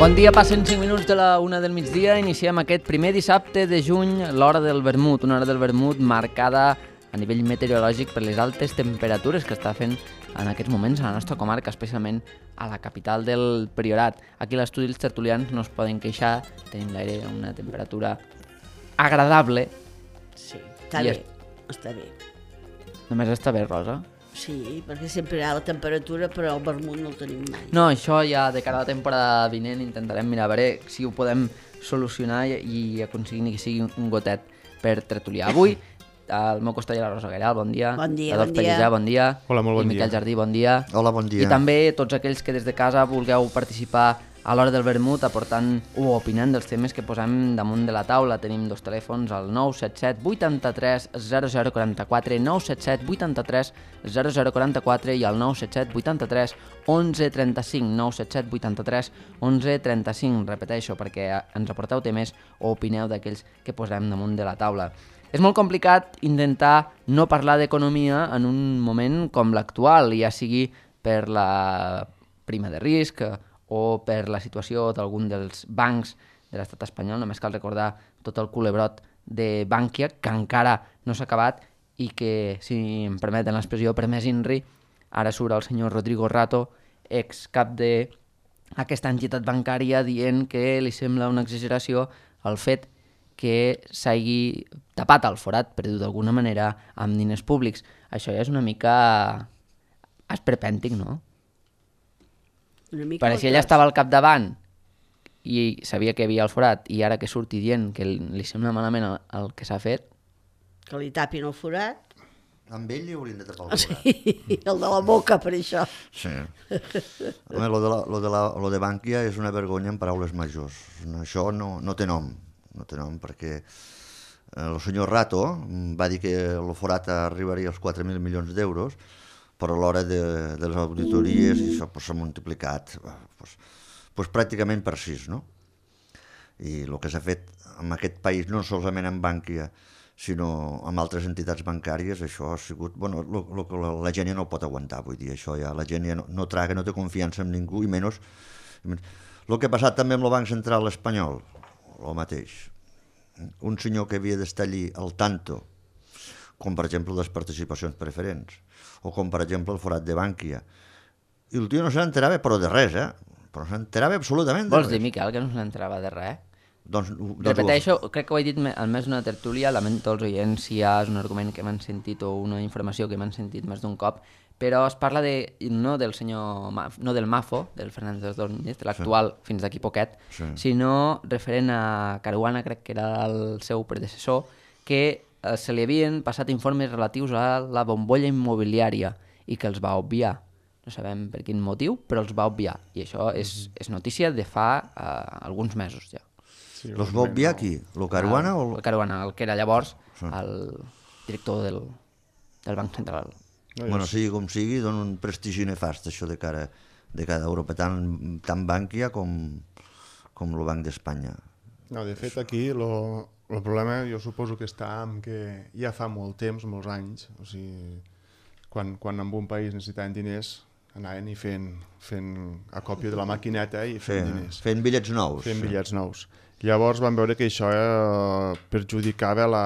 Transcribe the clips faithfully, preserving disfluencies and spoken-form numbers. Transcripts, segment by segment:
Bon dia, passen cinc minuts de la una del migdia. Iniciem aquest primer dissabte de juny, l'hora del vermut, una hora del vermut marcada a nivell meteorològic per les altes temperatures que està fent en aquests moments a la nostra comarca, especialment a la capital del Priorat. Aquí a l'estudi els tertulians no es poden queixar, tenim l'aire a una temperatura agradable. Sí, està I bé, es- està bé. Només està bé, Rosa? Sí, perquè sempre hi ha la temperatura, però el vermut no el tenim mai. No, això ja de cara a la temporada vinent intentarem mirar a veure si ho podem solucionar i, i aconseguir que sigui un gotet per tertuliar. Avui, al meu costat hi ha la Rosa Gairal, bon dia. Bon dia, Adolf bon dia. Pellicer, bon dia. Hola, molt bon I Miquel dia. Jardí, bon dia. Hola, bon dia. I també tots aquells que des de casa vulgueu participar a l'hora del vermut aportant o opinant dels temes que posem damunt de la taula. Tenim dos telèfons, el nou set set vuitanta-tres zero zero quaranta-quatre, nou set set vuitanta-tres zero zero quaranta-quatre i el nou set set vuitanta-tres onze trenta-cinc, nou set set vuitanta-tres onze trenta-cinc. Repeteixo, perquè ens aporteu temes o opineu d'aquells que posem damunt de la taula. És molt complicat intentar no parlar d'economia en un moment com l'actual, ja sigui per la prima de risc o per la situació d'algun dels bancs de l'estat espanyol. Només cal recordar tot el culebrot de Bankia, que encara no s'ha acabat i que, si em permeten l'expressió, per més inri, ara surt el senyor Rodrigo Rato, ex cap d'aquesta entitat bancària, dient que li sembla una exageració el fet que s'hagi tapat el forat, per dir-ho d'alguna manera, amb diners públics. Això ja és una mica esperpèntic, no? Una mica Perquè si ella estava al capdavant i sabia que hi havia el forat i ara que surti dient que li sembla malament el, el que s'ha fet, Que li tapin el forat. Amb ell li haurien de tapar el forat. Sí, el de la boca, per això. Sí. Home, lo de, la, lo, de la, lo de Bankia és una vergonya en paraules majors. Això no, no té nom, no té nom, perquè eh, el senyor Rato va dir que el forat arribaria als quatre mil milions d'euros, però a l'hora de, de les auditories això pues, s'ha multiplicat pues, pues, pràcticament per sis, no? I el que s'ha fet en aquest país, no solament en Bankia, sinó amb altres entitats bancàries, això ha sigut... Bueno, lo, lo, la, la gent ja no ho pot aguantar, vull dir, això ja la gent ja no, no traga, no té confiança en ningú, i menys... El que ha passat també amb el Banc Central espanyol, el mateix. Un senyor que havia d'estar allí al tanto, com per exemple les participacions preferents, o com per exemple el forat de Bankia. I el tio no se n'enterava, però de res, eh? Però no se n'enterava absolutament de vols res. dir, Miquel, que no se n'entrava de res? Doncs, doncs Repeteixo, crec que ho he dit al més d'una tertúlia, lamento els oients si ja és un argument que m'han sentit o una informació que m'han sentit més d'un cop, però es parla de, no del senyor, no del Mafo, del Fernández Ordóñez, de l'actual sí. fins d'aquí poquet, Sí. sinó referent a Caruana, crec que era el seu predecessor, que eh, se li havien passat informes relatius a la bombolla immobiliària i que els va obviar. No sabem per quin motiu, però els va obviar. I això és, és notícia de fa eh, alguns mesos ja. Sí, Los va obviar aquí? Lo Caruana el, o...? el Caruana, el que era llavors Sí. el director del, del Banc Central. No, Bueno, jo- sigui com sigui, dona un prestigi nefast això de cara, de cara a Europa, tant, tant Bankia com, com el Banc d'Espanya. no, de fet, aquí lo, el problema jo suposo que està en que ja fa molt temps, molts anys, o sigui, quan, quan en un país necessitaven diners, anaven i fent, fent a còpia de la maquineta i fent Fent, diners, fent bitllets nous. fent bitllets nous. Llavors van veure que això eh, perjudicava la,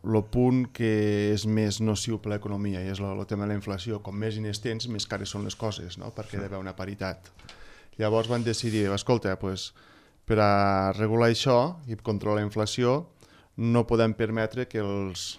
el punt que és més nociu per l'economia, i és el tema de la inflació. Com més diners tens, més cares són les coses, no? Perquè hi ha d'haver una paritat. Llavors van decidir, escolta, pues, per a regular això i controlar la inflació, no podem permetre que, els,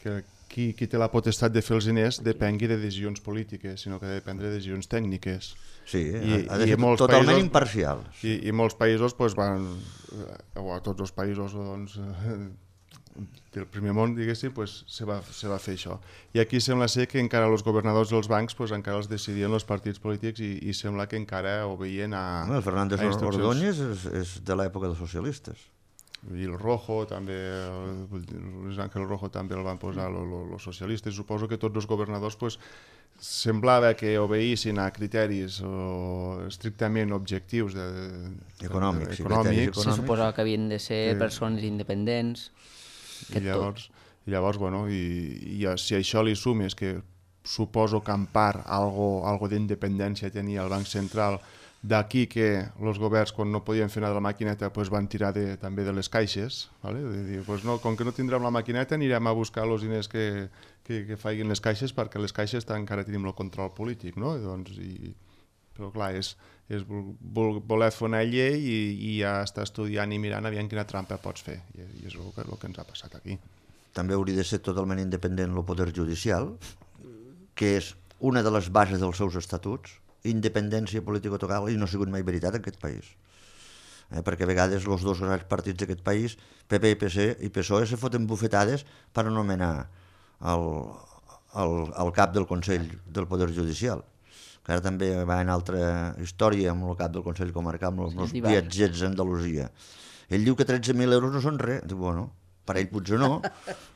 que qui, qui té la potestat de fer els diners depengui de decisions polítiques, sinó que ha de prendre decisions tècniques. Sí, I- ha de i ser molts totalment països- imparcial. I, i molts països pues, van, eh, o a tots els països doncs, eh, del primer món, diguéssim, pues, se, va, se va fer això. I aquí sembla ser que encara els governadors dels bancs pues, encara els decidien els partits polítics i, i sembla que encara obeïen a, El Fernández a instruccions. Ordóñez és, és de l'època dels socialistes. I el Rojo també, el, Luis Ángel Rojo també el van posar els socialistes. Suposo que tots els governadors pues, semblava que obeïssin a criteris o estrictament objectius de, de, Econòmics, sí, econòmics. criteris Se econòmics. suposava que havien de ser Sí. persones independents. I llavors, i llavors bueno, i, i si a això li sumes que suposo que en part algo, algo d'independència tenia el Banc Central D'aquí que els governs, quan no podien fer anar de la maquineta, pues van tirar de, també de les caixes. ¿Vale? De dir, pues no, com que no tindrem la maquineta, anirem a buscar els diners que, que, que facin les caixes, perquè les caixes encara tenim el control polític. No? I doncs, i, però clar, és, és vol, voler fer una llei i, i ja està estudiant i mirant aviam quina trampa pots fer. I, i és el que, el que ens ha passat aquí. També hauria de ser totalment independent el poder judicial, que és una de les bases dels seus estatuts, independència político-total, i no ha sigut mai veritat en aquest país. Eh, perquè a vegades els dos grans partits d'aquest país, P P i P S i P S O E, se foten bufetades per anomenar el, el, el cap del Consell del Poder Judicial, que ara també va en altra història amb el cap del Consell Comarcal, amb els sí, viatgers a Andalusia. Ell diu que tretze mil euros no són res. Diu, bueno, per ell potser no,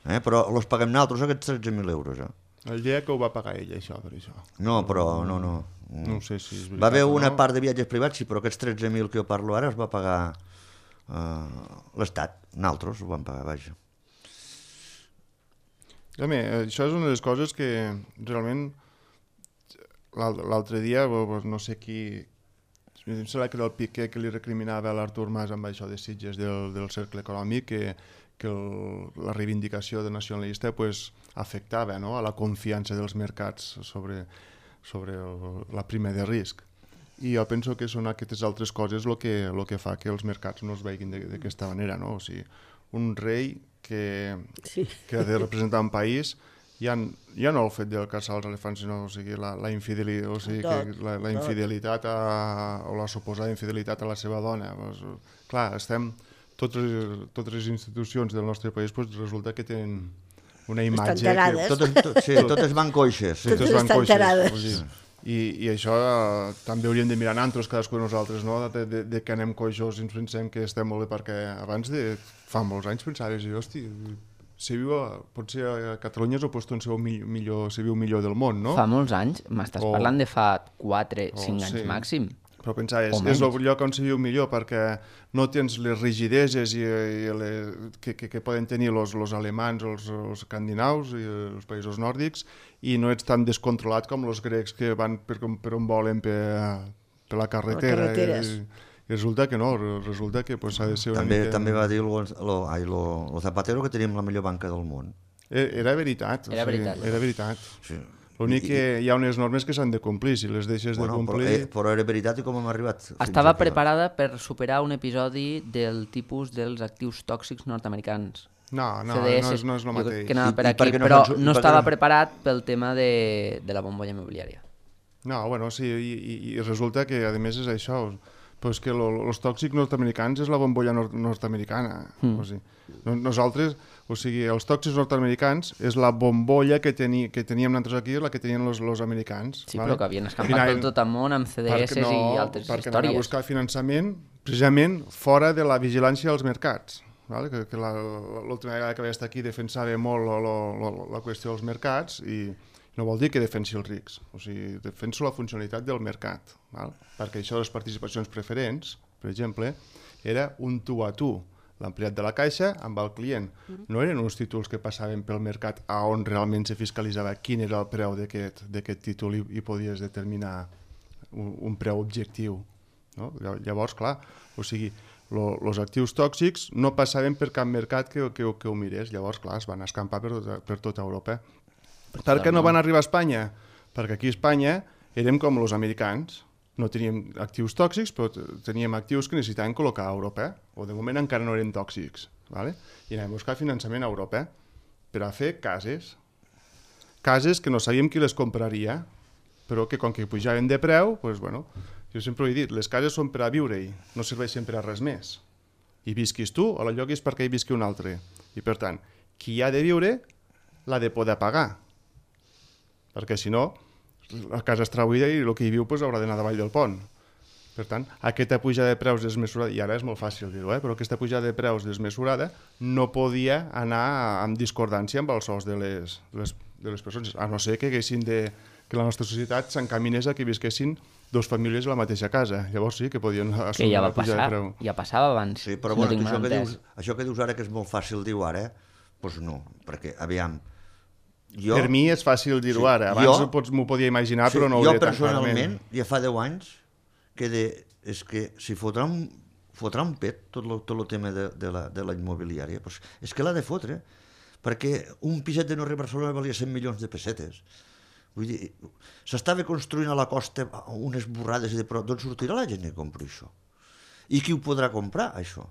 eh, però els paguem nosaltres aquests tretze mil euros. Eh? El dia que ho va pagar ell, això, per això. No, però no, no. No sé si és veritat. Va haver una no. part de viatges privats, sí, però aquests tretze mil que jo parlo ara els va pagar uh, l'Estat. Nosaltres ho vam pagar, vaja. A mi, això és una de les coses que realment l'altre dia, no sé qui, em sembla que era el Piqué que li recriminava a l'Artur Mas amb això de Sitges del, del cercle econòmic, que, que el, la reivindicació de nacionalista pues, afectava, no?, a la confiança dels mercats sobre, sobre el, la prima de risc. I jo penso que són aquestes altres coses el que, el que fa que els mercats no es veguin d'aquesta manera, no? O sigui, un rei que, sí. que ha de representar un país, ja, ja no el fet de caçar els elefants, sinó o sigui, la, la, infideli, o sigui, que la, la infidelitat a, o la suposada infidelitat a la seva dona. Pues, clar, estem, totes, totes les institucions del nostre país pues, resulta que tenen una imatge... Que, totes, tot, sí, totes van coixes. Sí, totes van coixes. O sigui, I, i això eh, també hauríem de mirar nosaltres, cadascú de nosaltres, no? de, de, de que anem coixos i ens pensem que estem molt bé, perquè abans de fa molts anys pensaves, hosti, si viu a, potser a Catalunya és el lloc on se viu millor, se viu millor del món, no? Fa molts anys, m'estàs o, parlant de fa quatre cinc o, anys sí. màxim. Però pensaves, és el lloc on se viu millor perquè no tens les rigideses i, i les, que, que, que poden tenir els alemans, els, els escandinaus i els països nòrdics, i no ets tan descontrolat com els grecs que van per, per on volen per, per la carretera. I, i resulta que no, resulta que pues, ha de ser una també, mica... També va dir el Zapatero que teníem la millor banca del món. Era veritat. Era veritat. O sigui, era veritat. Sí. L'únic que hi ha unes normes que s'han de complir, si les deixes bueno, de complir... Però, eh, però era veritat i com hem arribat? Estava preparada per superar un episodi del tipus dels actius tòxics nord-americans. No, no, C D S, no, és, no és el mateix. Que anava per I, aquí, i no però fan, no estava no... preparat pel tema de, de la bombolla immobiliària. No, bueno, sí, i, i, i resulta que, a més, és això, pues que els tòxics nord-americans és la bombolla nord nord-americana. Mm. O sigui, no, nosaltres, o sigui, els tòxics nord-americans és la bombolla que, teni, que teníem nosaltres aquí, la que tenien els, els americans. Sí, vale? però que havien escampat per tot el món amb C D S no, i altres perquè històries. Perquè anaven a buscar finançament precisament fora de la vigilància dels mercats. Vale? Que, que l'última vegada que vaig estar aquí defensava molt lo, lo, lo, la qüestió dels mercats i no vol dir que defensi els rics, o sigui, defenso la funcionalitat del mercat, val? Perquè això de les participacions preferents, per exemple, era un tu a tu, l'empleat de la caixa amb el client. No eren uns títols que passaven pel mercat a on realment se fiscalitzava quin era el preu d'aquest títol i, i podies determinar un, un preu objectiu. No? Llavors, clar, o sigui, els actius tòxics no passaven per cap mercat que, que, que ho mirés. Llavors, clar, es van escampar per tota, per tota Europa. Per què no van arribar a Espanya? Perquè aquí a Espanya érem com els americans. No teníem actius tòxics, però teníem actius que necessitaven col·locar a Europa. O de moment encara no eren tòxics. Vale? I anàvem a buscar finançament a Europa per a fer cases. Cases que no sabíem qui les compraria, però que com que pujaven de preu, doncs, bueno, jo sempre ho he dit, les cases són per a viure-hi, no serveixen per a res més. I visquis tu o la lloguis perquè hi visqui un altre. I per tant, qui ha de viure l'ha de poder pagar. Perquè si no, la casa està buida i el que hi viu pues, haurà d'anar davall del pont. Per tant, aquesta pujada de preus desmesurada, i ara és molt fàcil dir-ho, eh? Però aquesta pujada de preus desmesurada no podia anar en discordància amb els sous de les, de les, de les persones, a no ser que, de, que la nostra societat s'encaminés a que visquessin dues famílies a la mateixa casa. Llavors sí que podien assumir que ja va la pujada passar, de preu. Ja passava abans. Sí, però no bueno, això, que entès. dius, això que dius ara que és molt fàcil dir-ho ara, doncs no, perquè, aviam, jo... Per mi és fàcil dir-ho sí, ara, abans jo, m'ho podia imaginar, sí, però no ho jo diré tan personalment, clarament. ja fa deu anys, que de, és que si fotrà un, fotrà un pet tot el, tot el tema de, de, la, de la immobiliària, pues és que l'ha de fotre, perquè un piset de no res Barcelona valia cent milions de pessetes. Vull dir, s'estava construint a la costa unes borrades de però d'on sortirà la gent que compri això? I qui ho podrà comprar, això?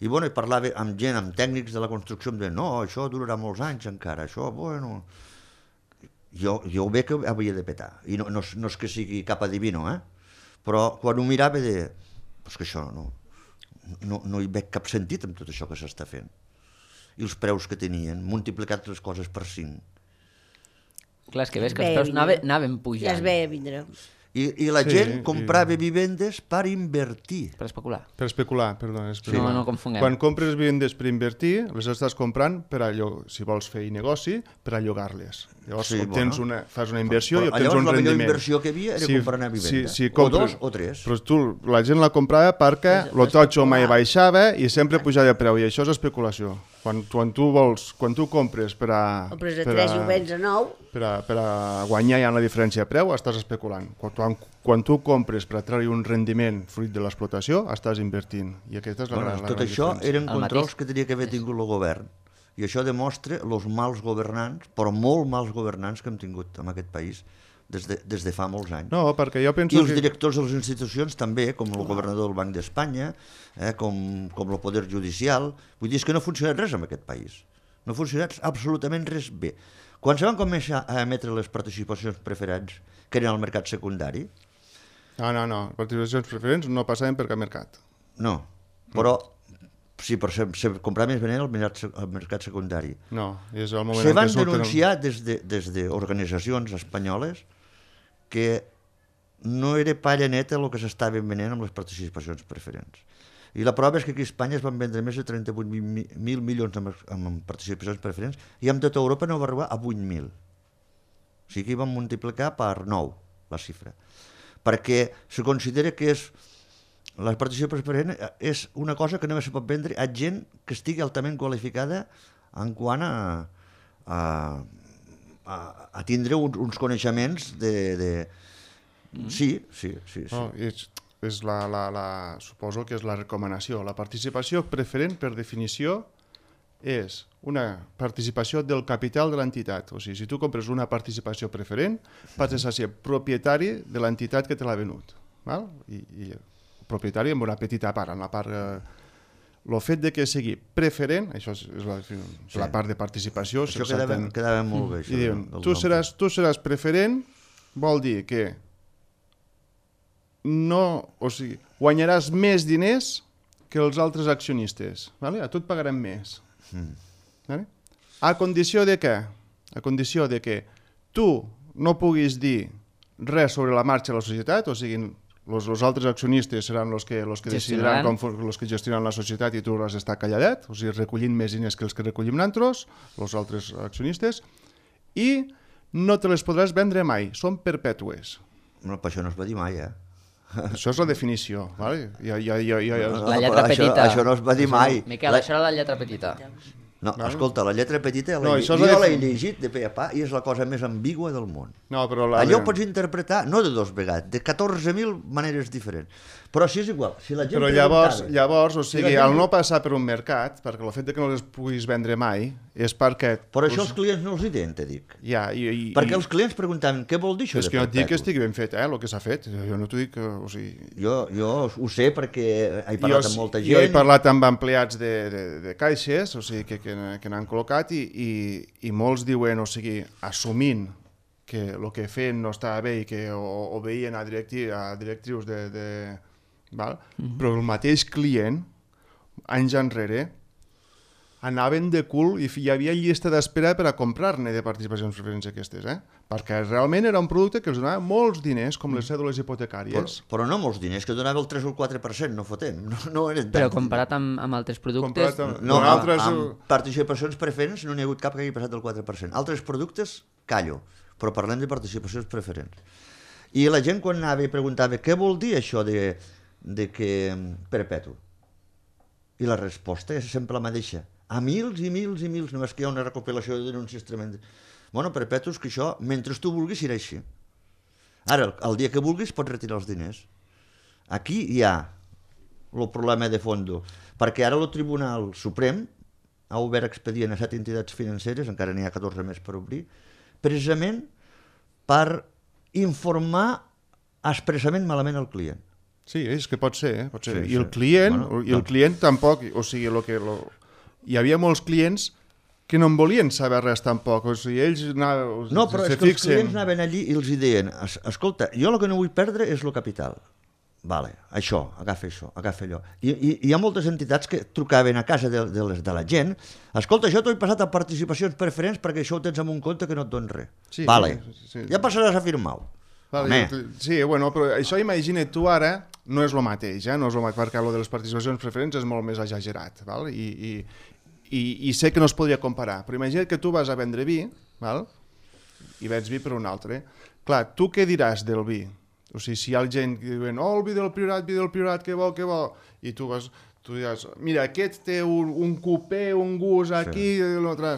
I bueno, parlava amb gent, amb tècnics de la construcció, em deien, no, això durarà molts anys encara, això, bueno... Jo, jo ho veig que havia de petar, i no, no, no és que sigui cap adivino, eh? Però quan ho mirava de... Pues que això no, no, no hi veig cap sentit amb tot això que s'està fent. I els preus que tenien, multiplicat les coses per cinc. Clar, és que veus que els preus anaven, anaven pujant. Ja es veia vindre. I, i la Sí, gent comprava i- vivendes per invertir. Per especular. Per especular, perdó. Especular. No, no confonguem. Quan compres vivendes per invertir, les estàs comprant per a allò, si vols fer negoci, per a llogar-les. Llavors Sí, obtens bueno. una, fas una inversió Però i obtens llavors un la millor rendiment. inversió que hi havia era comprar una vivenda. Si, si O compres, dos o tres. Però tu, la gent la comprava perquè És- lo totxo especular. mai baixava i sempre pujava de preu, i això és especulació. Quan, quan tu vols, quan tu compres per a... Compres a per tres i ho vens a nou. per a, per a guanyar ja en la diferència de preu, estàs especulant. Quan, quan, quan tu compres per a treure un rendiment fruit de l'explotació, estàs invertint. I aquesta és la, Bueno, gran, la tot gran això diferència. eren El controls mateix. que tenia que haver tingut el govern. I això demostra els mals governants, però molt mals governants que hem tingut en aquest país des de, des de fa molts anys. No, perquè jo penso I els que... directors de les institucions també, com el governador del Banc d'Espanya, eh, com, com el Poder Judicial. Vull dir, és que no ha funcionat res en aquest país. No ha funcionat absolutament res bé. Quan se van començar a emetre les participacions preferents, que eren al mercat secundari, No, no, no. Participacions preferents no passaven per cap mercat. no, però sí, però se, se comprava més venent al mercat, se- al mercat secundari. No, és el moment Se en van què surten... denunciar des de, des d'organitzacions espanyoles que no era palla neta el que s'estava venent amb les participacions preferents. I la prova és que aquí a Espanya es van vendre més de trenta-vuit mil milions amb, amb participacions preferents i amb tota Europa no va arribar a vuit mil. O sigui que hi van multiplicar per nou la xifra. Perquè se considera que és la participació preferent és una cosa que només se pot vendre a gent que estigui altament qualificada en quant a, a, a, a tindre uns, uns coneixements de... de... Sí, sí, sí. sí. No, és, és la, la, la, suposo que és la recomanació. La participació preferent, per definició, és una participació del capital de l'entitat. O sigui, si tu compres una participació preferent, passes a ser propietari de l'entitat que te l'ha venut. Val? I, i propietari amb una petita part, en la part... Eh, el fet de que sigui preferent, això és, és la, sí. la part de participació... Això quedava, quedava molt bé. Això, I diuen, del- del tu nom. seràs, tu seràs preferent, vol dir que no, o sigui, guanyaràs més diners que els altres accionistes. Vale? A tu et pagarem més. Mm. Vale? A condició de què? A condició de que tu no puguis dir res sobre la marxa de la societat, o sigui, els, els altres accionistes seran els que, los que decidiran Gestionaran. com els que gestionen la societat i tu has d'estar calladet, o sigui, recollint més diners que els que recollim nosaltres, els altres accionistes, i no te les podràs vendre mai, són perpètues. No, per això no es va dir mai, eh? Això és la definició, vale? Ja, ja, ja, ja, ja. La lletra però això, petita. Això no es va dir mai. Miquel, La- això era la lletra petita. No, escolta, la lletra petita No, l'he això és no, la l'he defini- llegit de pe a pa i és la cosa més ambigua del món. No, però la... Allò ho pots interpretar, no de dos vegades, de catorze mil maneres diferents. Però si és igual, si la gent Però llavors, preguntava- llavors, o Si sigui, la gent- al no passar per un mercat, perquè el fet de que no les puguis vendre mai, és perquè... Però això els clients no els hi tenen, te dic. Ja, i, i, Perquè i- els clients preguntaven, què vol dir això És de que no et dic que perpetu? estigui ben fet, eh, el que s'ha fet. Jo no t'ho dic, que, o sigui... Jo, jo ho sé perquè he parlat jo, amb molta jo he gent. parlat amb empleats de, de, de caixes, o sigui, que, que, que n'han col·locat i, i, i molts diuen, o sigui, assumint que el que feien no estava bé i que o, o veien a, directi, a directrius de... de val? Mm-hmm. Però el mateix client, anys enrere, anaven de cul i hi havia llista d'espera per a comprar-ne de participacions preferents aquestes, eh? Perquè realment era un producte que els donava molts diners, com les cèdules Però, hipotecàries. però no molts diners, que donava el tres o el quatre per cent, no fotem. No, no eren Però tants. comparat amb, amb altres productes... Comparat amb- No, Amb amb, altres- amb participacions preferents no n'hi ha hagut cap que hagi passat del quatre per cent. Altres productes, callo, però parlem de participacions preferents. I la gent quan anava i preguntava què vol dir això de, de que perpetu? I la resposta és sempre la mateixa. A mils i mils i mils, només que hi ha una recopilació de denúncies tremendes. Bueno, perpetu és que això, mentre tu vulguis, serà així. Ara, el, el dia que vulguis, pots retirar els diners. Aquí hi ha el problema de fondo, perquè ara el Tribunal Suprem ha obert expedient a set entitats financeres, encara n'hi ha catorze més per obrir, precisament per informar expressament malament el client. Sí, és que pot ser, eh? Pot ser. Sí, I el sí. client, Bueno, i el doncs- client tampoc, o sigui, lo que, lo... hi havia molts clients que no en volien saber res tampoc, o sigui, ells anaven, No, però se és que els fixen... clients anaven allí i els hi deien, "Es- escolta, jo el que no vull perdre és el capital. Vale, això, agafa això, agafa allò. I, i, i hi ha moltes entitats que trucaven a casa de, de, les, de la gent, escolta, això t'ho he passat a participacions preferents perquè això ho tens en un compte que no et don res. Sí, vale, sí, sí. ja passaràs a firmar-ho. Vale, sí, bueno, però això imagina't tu ara, no és el mateix, eh? No és el mateix, perquè el de les participacions preferents és molt més exagerat, val? I, i, i, i sé que no es podria comparar, però imagina't que tu vas a vendre vi, val? I vens vi per un altre. Clar, tu què diràs del vi? O sigui, si hi ha gent que diuen, oh, el vi del Priorat, vi del Priorat, que bo, que bo, i tu vas, tu diràs, mira, aquest té un, un cupé, un gust aquí, sí. I l'altre...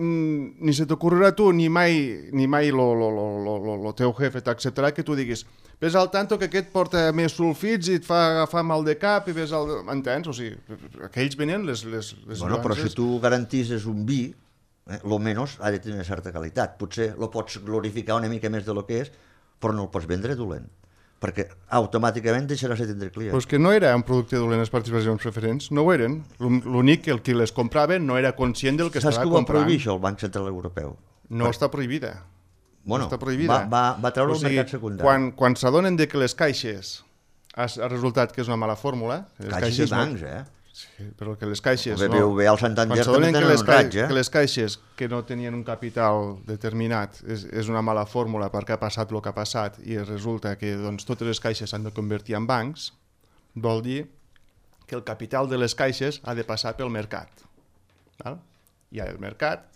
Mm, ni se t'ocorrerà tu, ni mai, ni mai lo, lo, lo, lo, lo, lo teu jefe t'acceptarà que tu diguis, ves al tanto que aquest porta més sulfits i et fa agafar mal de cap i ves al... Entens? O sigui, aquells venien les, les, les Bueno, però nuances. si tu garantisses un vi, eh, lo menys ha de tenir una certa qualitat. Potser lo pots glorificar una mica més de lo que és, però no el pots vendre dolent, perquè automàticament deixaràs de tindre clients. Pues que no era un producte dolent les participacions preferents, no ho eren. L'únic que el qui les comprava no era conscient del que Saps estava que ho va comprant. prohibir això el Banc Central Europeu? No Per... està prohibida. Bueno, no està prohibida. va, va, va treure O el sigui, mercat secundari. Quan, quan s'adonen de que les caixes ha, ha resultat que és una mala fórmula... Les Caixes i no- bancs, eh? Sí, però que les caixes... El B B V, el Santander Quan s'adonen també que tenen les, un ca... raig, eh? que les caixes que no tenien un capital determinat és, és una mala fórmula perquè ha passat el que ha passat i resulta que doncs, totes les caixes s'han de convertir en bancs, vol dir que el capital de les caixes ha de passar pel mercat. Val? I el mercat...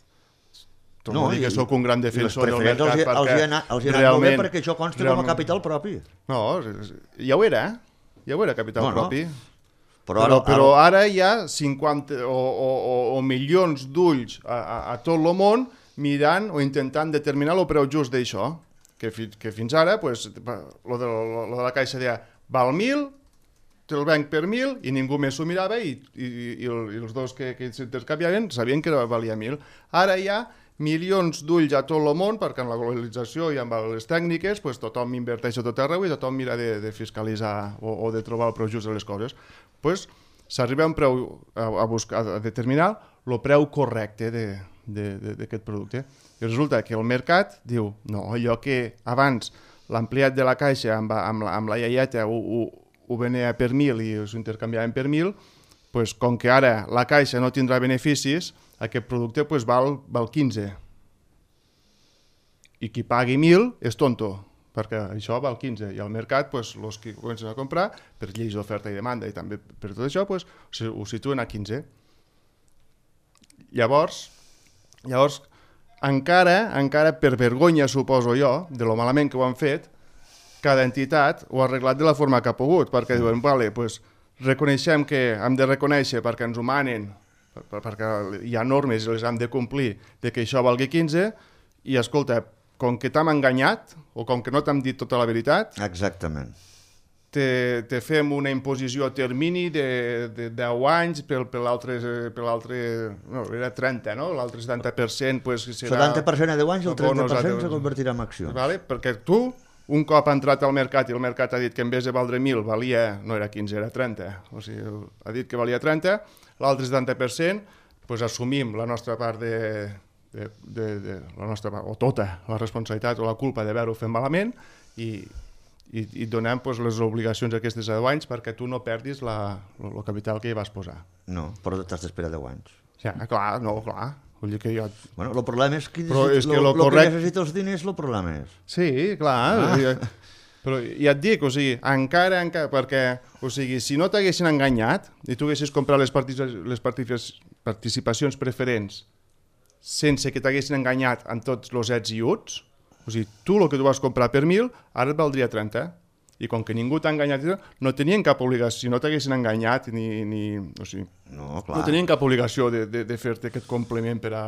No, No, dir que i- sóc un gran I les defensor del preferents mercat els, hi- els, hi ha anat, els hi ha anat molt bé realment- perquè això consta com realment- a capital propi. No, ja ho era, ja ho era capital No, no. propi. Però Però, ara, però ara, ara hi ha cinquanta o, o, o, o milions d'ulls a, a, a tot el món mirant o intentant determinar el preu just d'això, que, fi, que fins ara pues, lo, de, lo, lo de la caixa deia val mil, te'l venc per mil i ningú més s'ho mirava i, i, i, el, i els dos que, que s'intercanviaven sabien que valia mil. Ara hi ha milions d'ulls a tot el món perquè en la globalització i amb les tècniques pues, tothom inverteix a tot arreu i tothom mira de, de fiscalitzar o, o de trobar el preu just de les coses. Pues, s'arriba a un preu a, a, buscar, a determinar el preu correcte d'aquest producte. I resulta que el mercat diu, no, allò que abans l'ampliat de la caixa amb, amb, la, amb la iaieta ho, ho, ho venia per mil i s'ho intercanviaven per mil, pues, com que ara la caixa no tindrà beneficis, aquest producte pues, val, val quinze. I qui pagui mil és tonto, perquè això val quinze. I al mercat, pues, els que comencen a comprar, per lleis d'oferta i demanda i també per tot això, pues, ho situen a quinze. Llavors, llavors encara, encara per vergonya, suposo jo, de lo malament que ho han fet, cada entitat ho ha arreglat de la forma que ha pogut, perquè diuen, vale, pues, reconeixem que hem de reconèixer perquè ens ho manen, perquè hi ha normes i les hem de complir, de que això valgui quinze, i escolta, com que t'hem enganyat, o com que no t'hem dit tota la veritat, exactament. te, te fem una imposició a termini de, de deu anys per, per l'altre, per l'altre, no, era trenta, no? L'altre setanta per cent pues, serà... setanta per cent a deu anys i el trenta per cent bonos a- se convertirà en accions. Vale? Perquè tu, un cop ha entrat al mercat i el mercat ha dit que en vez de valdre mil valia, no era quinze, era trenta, o sigui, ha dit que valia trenta, l'altre setanta per cent, pues, assumim la nostra part de, de, de, de la nostra part, o tota la responsabilitat o la culpa d'haver-ho fet malament i, i, i donem pues, les obligacions aquestes a deu anys perquè tu no perdis la, el capital que hi vas posar. No, però t'has d'esperar deu anys. Ja, clar, no, clar. Vull dir que jo... Bueno, el problema és que, Però és que lo, lo lo correct- que necessita els diners, el problema és. Sí, clar, ah. Però ja et dic, o sigui, encara, encara, perquè, o sigui, si no t'haguessin enganyat i tu haguessis comprat les, partici les partici participacions preferents sense que t'haguessin enganyat en tots els ets i uts, o sigui, tu el que tu vas comprar per mil, ara et valdria trenta. I com que ningú t'ha enganyat, no tenien cap obligació, si no t'haguessin enganyat, ni, ni, o sigui, No, clar. no tenien cap obligació de, de, de fer-te aquest complement per a,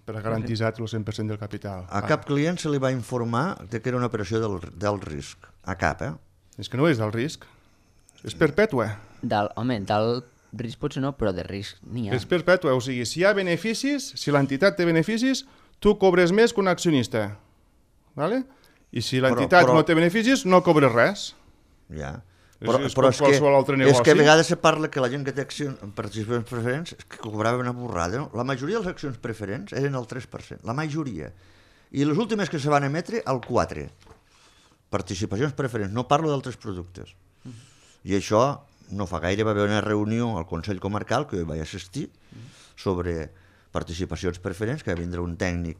per a garantir el cent per cent del capital. A cap client se li va informar de que era una operació del, del risc. A cap, eh? És que no és del risc. És perpètua. Del, home, del risc potser no, però de risc n'hi ha. És perpètua, o sigui, si hi ha beneficis, si l'entitat té beneficis, tu cobres més que un accionista. Vale? I si l'entitat però... no té beneficis, no cobres res. Ja. És, Però, és però com és, qualsevol altre que, negoci. és que a vegades se parla que la gent que té accions, participacions preferents és que cobrava una borrada. No? La majoria de les accions preferents eren el tres per cent, la majoria. I les últimes que se van emetre, el quatre per cent. Participacions preferents, no parlo d'altres productes. I això no fa gaire va haver una reunió al Consell Comarcal, que jo vaig assistir, sobre participacions preferents, que va vindre un tècnic,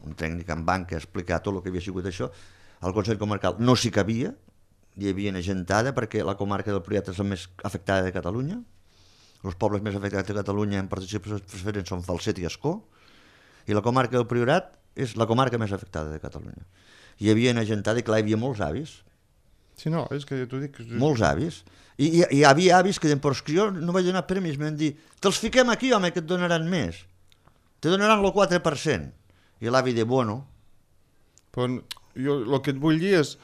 un tècnic en banca a explicar tot el que havia sigut això. Al Consell Comarcal no s'hi cabia, hi havia agentada perquè la comarca del Priorat és la més afectada de Catalunya. Els pobles més afectats de Catalunya en participacions preferents són Falset i Ascó, i la comarca del Priorat és la comarca més afectada de Catalunya. Hi havia agentada i clar, hi havia molts avis. Sí, no, és que t'ho dic... Molts avis. I hi, hi havia avis que deien, però és que jo no vaig donar premis, m'han dit, te'ls fiquem aquí, home, que et donaran més. Te donaran el quatre per cent. I l'avi de, bueno... Però jo el que et vull dir és...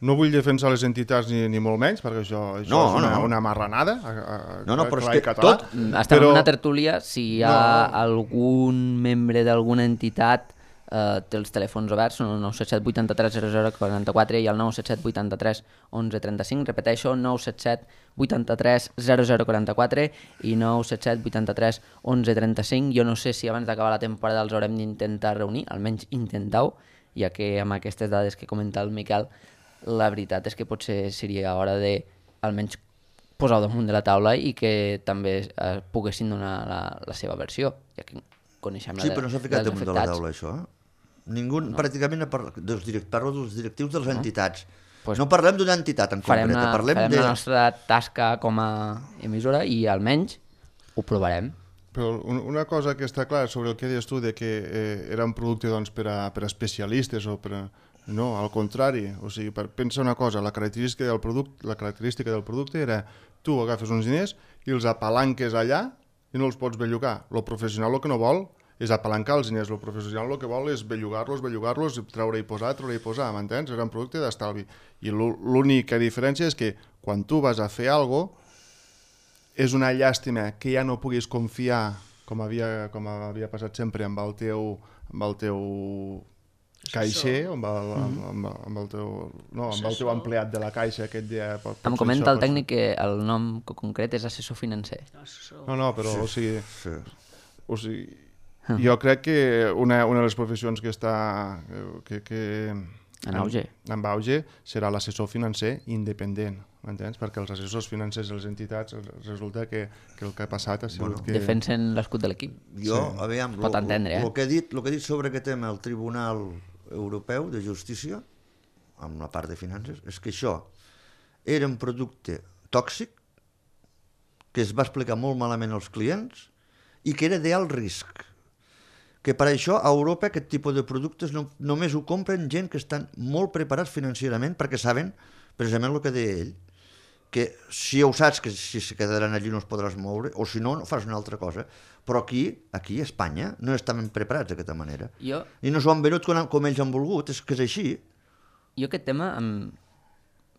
No vull defensar les entitats ni, ni molt menys, perquè això, això no, és una, no. una marranada. A, a, no, no, però és que català, tot... Estem però... en una tertúlia, si hi ha no. algun membre d'alguna entitat eh, té els telèfons oberts, són el nou set set vuit tres zero zero quatre quatre i el nou set set vuit tres onze trenta cinc, repeteixo, nou set set vuit tres zero zero quatre quatre i nou set set vuit tres onze trenta cinc. Jo no sé si abans d'acabar la temporada els haurem d'intentar reunir, almenys intentau, ja que amb aquestes dades que comenta el Miquel, la veritat és que potser seria hora de almenys posar-ho damunt de la taula i que també eh, poguessin donar la, la seva versió, ja que coneixem la Sí, però no s'ha ficat dels damunt de la afectats. taula, això. Eh? Ningú, no. Pràcticament, parla, dels direct, parlo dels directius de les No. entitats. Pues no parlem d'una entitat en farem concret, la, parlem farem de... la nostra tasca com a emissora i almenys ho provarem. Però una cosa que està clara sobre el que deies tu de que eh, era un producte doncs, per, a, per a especialistes o per a... No, al contrari, o sigui, per, pensa una cosa, la característica del producte, la característica del producte era tu agafes uns diners i els apalanques allà i no els pots bellugar. Lo professional el que no vol és apalancar els diners, lo professional el que vol és bellugar-los, bellugar-los, treure i posar, treure i posar, m'entens? Era un producte d'estalvi. I l'única diferència és que quan tu vas a fer alguna cosa, és una llàstima que ja no puguis confiar, com havia, com havia passat sempre, amb el teu, amb el teu caixer, amb el, amb, amb, amb el teu, no, amb el teu empleat de la caixa aquest dia. Pot, pot Em comenta el tècnic que el nom concret és assessor financer. No, no, però o sigui, Sí. o sigui jo crec que una, una de les professions que està que, que En auge. En, en auge serà l'assessor financer independent, m'entens? Perquè els assessors financers de les entitats resulta que, que el que ha passat ha sigut Bueno, que... Defensen l'escut de l'equip. Jo, Sí. aviam, Pot entendre, eh? el que he dit, lo que he dit sobre aquest tema, el Tribunal Europeu de Justícia, amb la part de finances, és que això era un producte tòxic que es va explicar molt malament als clients i que era d'alt risc. Que per això a Europa aquest tipus de productes no, només ho compren gent que estan molt preparats financerament perquè saben precisament el que deia ell, que si ho saps que si se quedaran allí no es podràs moure, o si no, no fas una altra cosa. Però aquí, aquí a Espanya, no estaven preparats d'aquesta manera. Jo, I no s'ho han venut com, com ells han volgut, és que és així. jo aquest tema, em,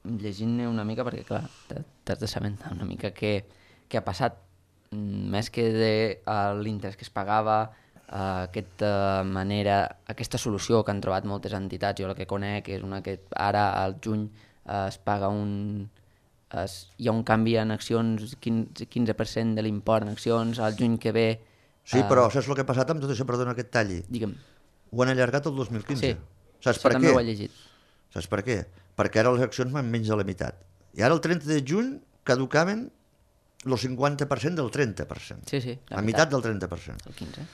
llegint-ne una mica, perquè clar, t'ha- t'has de saber una mica què, què ha passat, Mm, més que de uh, l'interès que es pagava, uh, aquesta manera, aquesta solució que han trobat moltes entitats, jo la que conec és una que ara al juny uh, es paga un... Es, hi ha un canvi en accions, quinze, quinze per cent de l'import en accions, al juny que ve... Sí, uh, però saps el que ha passat amb tot això? Perdona que et talli. Digue'm. Ho han allargat el dos mil quinze. Sí, Saps això per també què? ho he llegit. Saps per què? Perquè ara les accions van menys de la meitat. I ara el trenta de juny caducaven el cinquanta per cent del trenta per cent. Sí, sí. La meitat del trenta per cent. El quinze.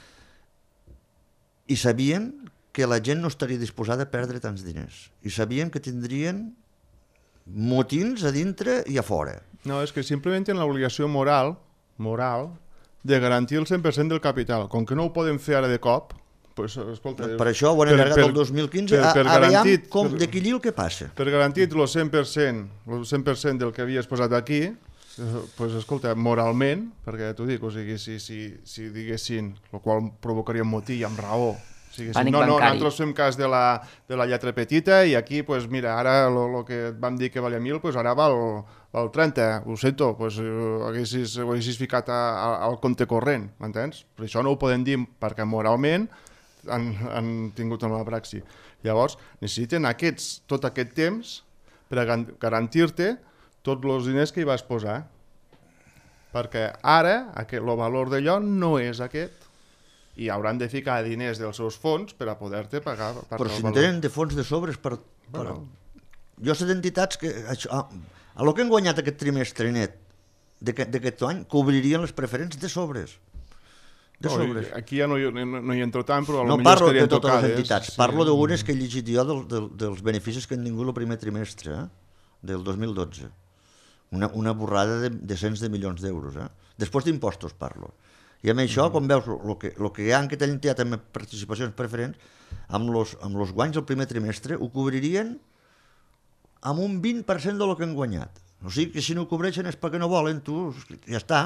I sabien que la gent no estaria disposada a perdre tants diners. I sabien que tindrien motins a dintre i a fora. No, és que simplement tenen l'obligació moral, moral, de garantir el cent per cent del capital. Com que no ho poden fer ara de cop, pues, escolta... Per això ho han allargat el dos mil quinze, per, per a, aviam garantit, com, per, de qui el que passa. per garantir el cent per cent, el cent per cent del que havies posat aquí, eh, pues, escolta, moralment, perquè t'ho dic, o sigui, si, si, si diguessin, el qual provocaria un motí amb raó, O sigui, Pànic no, no, bancari. nosaltres fem cas de la, de la lletra petita i aquí, pues, mira, ara el que et vam dir que valia mil, pues, ara val, val trenta, ho sento, pues, ho, haguessis, ho haguessis ficat a, a, al compte corrent, m'entens? Per això no ho podem dir perquè moralment han, han tingut una praxi. Llavors, necessiten aquests, tot aquest temps per a garantir-te tots els diners que hi vas posar. Perquè ara aquest, el valor d'allò no és aquest i hauran de ficar diners dels seus fons per a poder-te pagar. Per Però si en tenen de fons de sobres per... Bueno. per... Jo sé d'entitats que... Això, a, a lo que han guanyat aquest trimestre net d'aquest any cobririen les preferents de sobres. De no, sobres. Aquí ja no hi, no, no hi entro tant, però No potser parlo de estarien totes tocades. les entitats, Sí. parlo d'unes que he llegit jo del, del, dels beneficis que han tingut el primer trimestre, eh? Del dos mil dotze. Una, una borrada de, de cents de milions d'euros. Eh? Després d'impostos parlo. I amb això, mm. com veus, el que, lo que han que tenen tirat amb participacions preferents, amb els amb los guanys del primer trimestre, ho cobririen amb un vint per cent del que han guanyat. O sigui que si no ho cobreixen és perquè no volen, tu, ja està.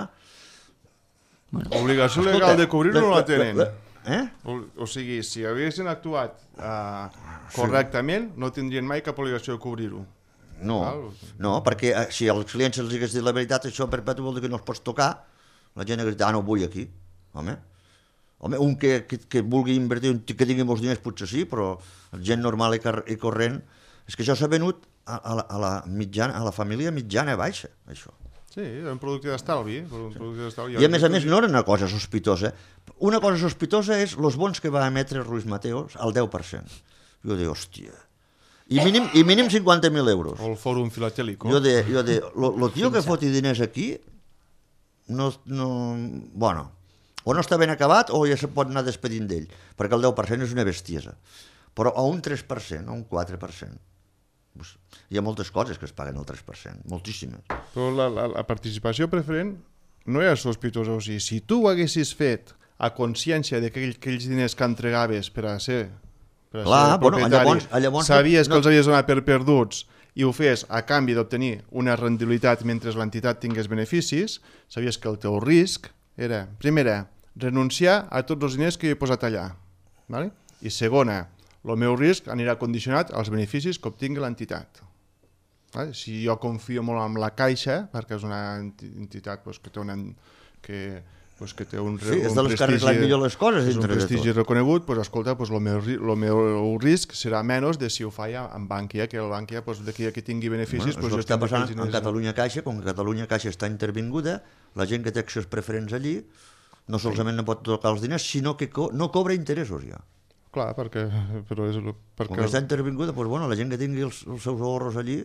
Bueno. Obligació legal de cobrir-ho no la tenen. Eh? O, o sigui, si haguessin actuat uh, correctament, no tindrien mai cap obligació de cobrir-ho. No, no, perquè eh, si als clients els hagués dit la veritat, això perpetu vol dir que no els pots tocar, la gent hagués dit, ah, no vull aquí. Home, Home un que, que, que vulgui invertir, que tingui molts diners potser sí, però gent normal i, car i corrent, és que això s'ha venut a, a, la, a, la mitjana, a la família mitjana baixa, això. Sí, un producte d'estalvi. Sí. I a més a més no era una cosa sospitosa. Una cosa sospitosa és els bons que va emetre Ruiz Mateos al deu per cent. Jo dic, hòstia... I mínim, i mínim cinquanta mil euros. O el fòrum filatèlico. Jo de, jo de, lo, lo tio que foti diners aquí, no, no, bueno, o no està ben acabat o ja se pot anar despedint d'ell, perquè el deu per cent és una bestiesa. Però a un tres per cent, a un quatre per cent. Hi ha moltes coses que es paguen al tres per cent, moltíssimes. Però la, la, la participació preferent no era sospitosa. O sigui, si tu ho haguessis fet a consciència d'aquells diners que entregaves per a ser... Per a Clar, ser bueno, propietari, llavors, llavors, sabies no, que els havies donat per perduts i ho fes a canvi d'obtenir una rendibilitat mentre l'entitat tingués beneficis, sabies que el teu risc era, primera, renunciar a tots els diners que he posat allà. Vale? I segona, el meu risc anirà condicionat als beneficis que obtingui l'entitat. Vale? Si jo confio molt en la Caixa, perquè és una entitat pues, que té una... Que, pues que té un, sí, és un de les que arreglen millor les coses és un dintre de prestigi tot. reconegut, pues, escolta, pues, el, meu, el meu risc serà menys de si ho faia amb Bankia, que el Bankia pues, d'aquí que tingui beneficis... Bueno, pues, és el que està passant en Catalunya Caixa, com que Catalunya Caixa està intervinguda, la gent que té accions preferents allí no solament no pot tocar els diners, sinó que co no cobra interessos ja. Clar, perquè... Però és perquè... Com que està intervinguda, pues, bueno, la gent que tingui els, els seus ahorros allí,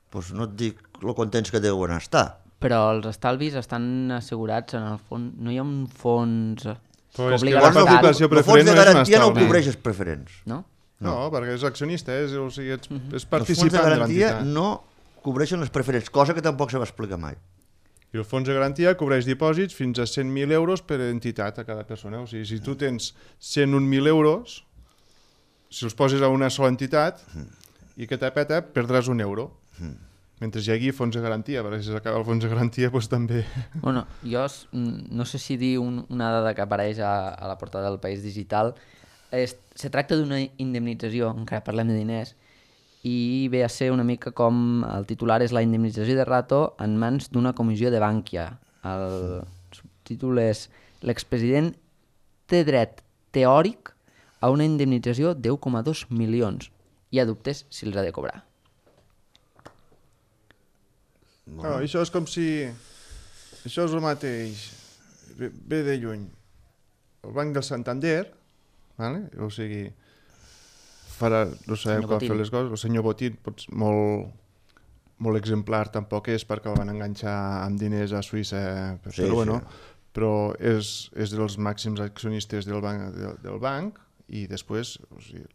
pues, no et dic lo contents que deuen estar. Però els estalvis estan assegurats en el fons... No hi ha un fons... Però és que obliga la l'Estat. participació El preferent fons de no és un garantia no estalvi. cobreix els preferents. No? No, no, perquè és accionista, és, o sigui, és, és Els fons de participant de garantia l'entitat. no cobreixen les preferents, cosa que tampoc se va explicar mai. I el fons de garantia cobreix dipòsits fins a cent mil euros per entitat a cada persona. O sigui, si tu tens cent un mil euros, si els poses a una sola entitat i que t'apeta, perdràs un euro. Mentre hi hagi fons de garantia, perquè si s'acaba el fons de garantia, doncs també... Bueno, jo no sé si dir un, una dada que apareix a, a la portada del País Digital. Es, se tracta d'una indemnització, encara parlem de diners, i ve a ser una mica com el titular és la indemnització de Rato en mans d'una comissió de Bankia. El subtítol és l'expresident té dret teòric a una indemnització d'u coma dos milions i ha dubtes si els ha de cobrar. No, això és com si... Això és el mateix. Ve, ve de lluny. El Banc del Santander, vale? O sigui, farà, no sabem com fer les coses, el senyor Botín, potser molt, molt exemplar tampoc és perquè el van enganxar amb diners a Suïssa, però, sí, bueno, sí. Però és, és dels màxims accionistes del banc, del, del banc i després o sigui,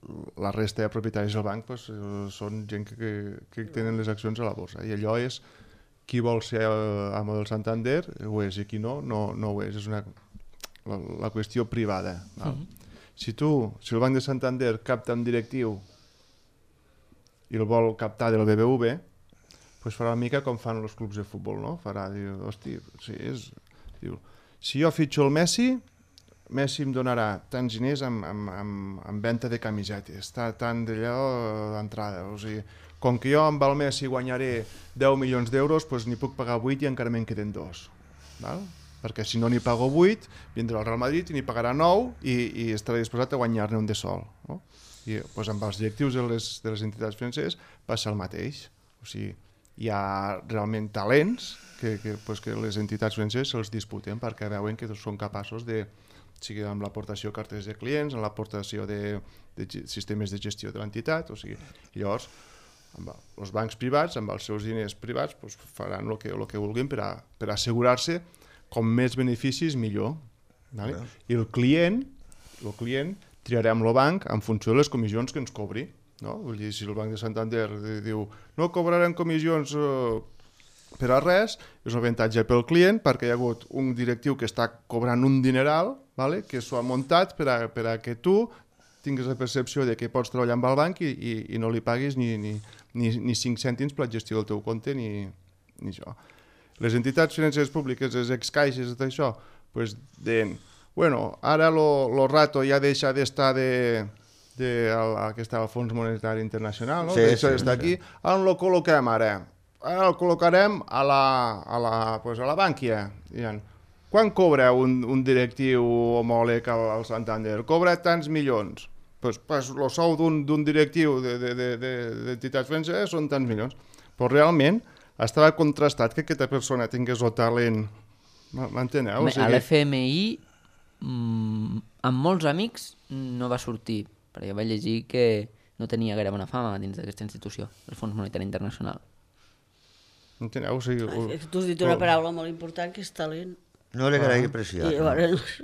la resta de propietaris del banc pues, són gent que, que, que tenen les accions a la borsa i allò és qui vol ser amo del Santander ho és i qui no, no, no ho és. És una, la, la qüestió privada. Val? Mm-hmm. Si tu, si el Banc de Santander capta un directiu i el vol captar del B B V, pues farà una mica com fan els clubs de futbol, no? Farà, diu, hosti, sí, és, diu, si jo fitxo el Messi, Messi em donarà tants diners amb, amb, amb, amb venda de camisetes, tant d'allò d'entrada. O sigui, com que jo amb el Messi guanyaré deu milions d'euros, doncs n'hi puc pagar vuit i encara me'n queden dos. Val? Perquè si no n'hi pago vuit, vindrà al Real Madrid i n'hi pagarà nou i, i estarà disposat a guanyar-ne un de sol. No? I doncs, amb els directius de les, de les entitats financeres passa el mateix. O sigui, hi ha realment talents que, que, pues, que les entitats financeres se'ls disputen perquè veuen que són capaços de, sigui amb l'aportació de cartes de clients, amb l'aportació de, de sistemes de gestió de l'entitat, o sigui, llavors amb els bancs privats, amb els seus diners privats, pues, faran el que, el que vulguin per, a, per assegurar-se com més beneficis millor. Vale? Yeah. I el client, el client triarem el banc en funció de les comissions que ens cobri. No? Vull dir, si el Banc de Santander diu no cobrarem comissions eh, per a res, és un avantatge pel client perquè hi ha hagut un directiu que està cobrant un dineral, vale? Que s'ho ha muntat per a, per a que tu tinguis la percepció de que pots treballar amb el banc i, i, i no li paguis ni, ni, ni, ni cinc cèntims per la gestió del teu compte ni, ni això. Les entitats financeres públiques, les excaixes, tot això, pues, deien, bueno, ara lo, lo rato ja deixa d'estar de... de el, que està al Fons Monetari Internacional, no? Sí, això sí, està aquí, sí. On lo col·loquem ara? Ara el col·locarem a la, a la, pues a la Bànquia. Quan cobra un, un directiu homòleg al, al Santander? Cobra tants milions. Pues, pues el sou d'un directiu d'entitats financeres són tants milions. Però realment estava contrastat que aquesta persona tingués el talent. M'enteneu? O sigui... A l'F M I, mmm, amb molts amics, no va sortir. Perquè vaig llegir que no tenia gaire bona fama dins d'aquesta institució, el Fons Monetari Internacional. Enteneu? O sigui, o... Tu has dit una paraula molt important, que és talent. No era gaire apreciat. I llavors...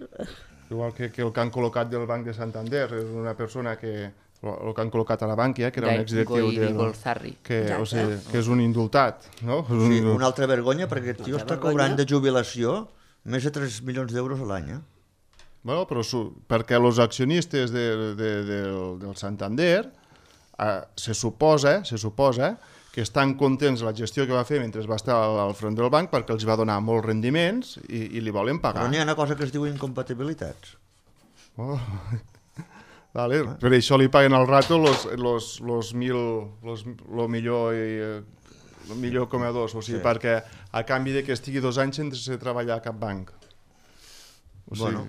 Igual que, que el que han col·locat del Banc de Santander, és una persona que... El que han col·locat a la Bànquia, que era un exdirectiu del... Que, o sigui, que és un indultat, no? És un... Sí, una altra vergonya, perquè el tio està cobrant de jubilació més de tres milions d'euros a l'any, eh? Bueno, però perquè els accionistes de, de, de, del Santander eh, se suposa, se suposa que estan contents de la gestió que va fer mentre va estar al, al front del banc perquè els va donar molts rendiments i, i li volen pagar. Però n'hi ha una cosa que es diu incompatibilitats. Oh. Vale, ah. Per això li paguen al rato los, los, los mil, los, lo millor i el millor coma dos, o sigui, sí. Perquè a canvi de que estigui dos anys sense treballar a cap banc. O sigui, bueno.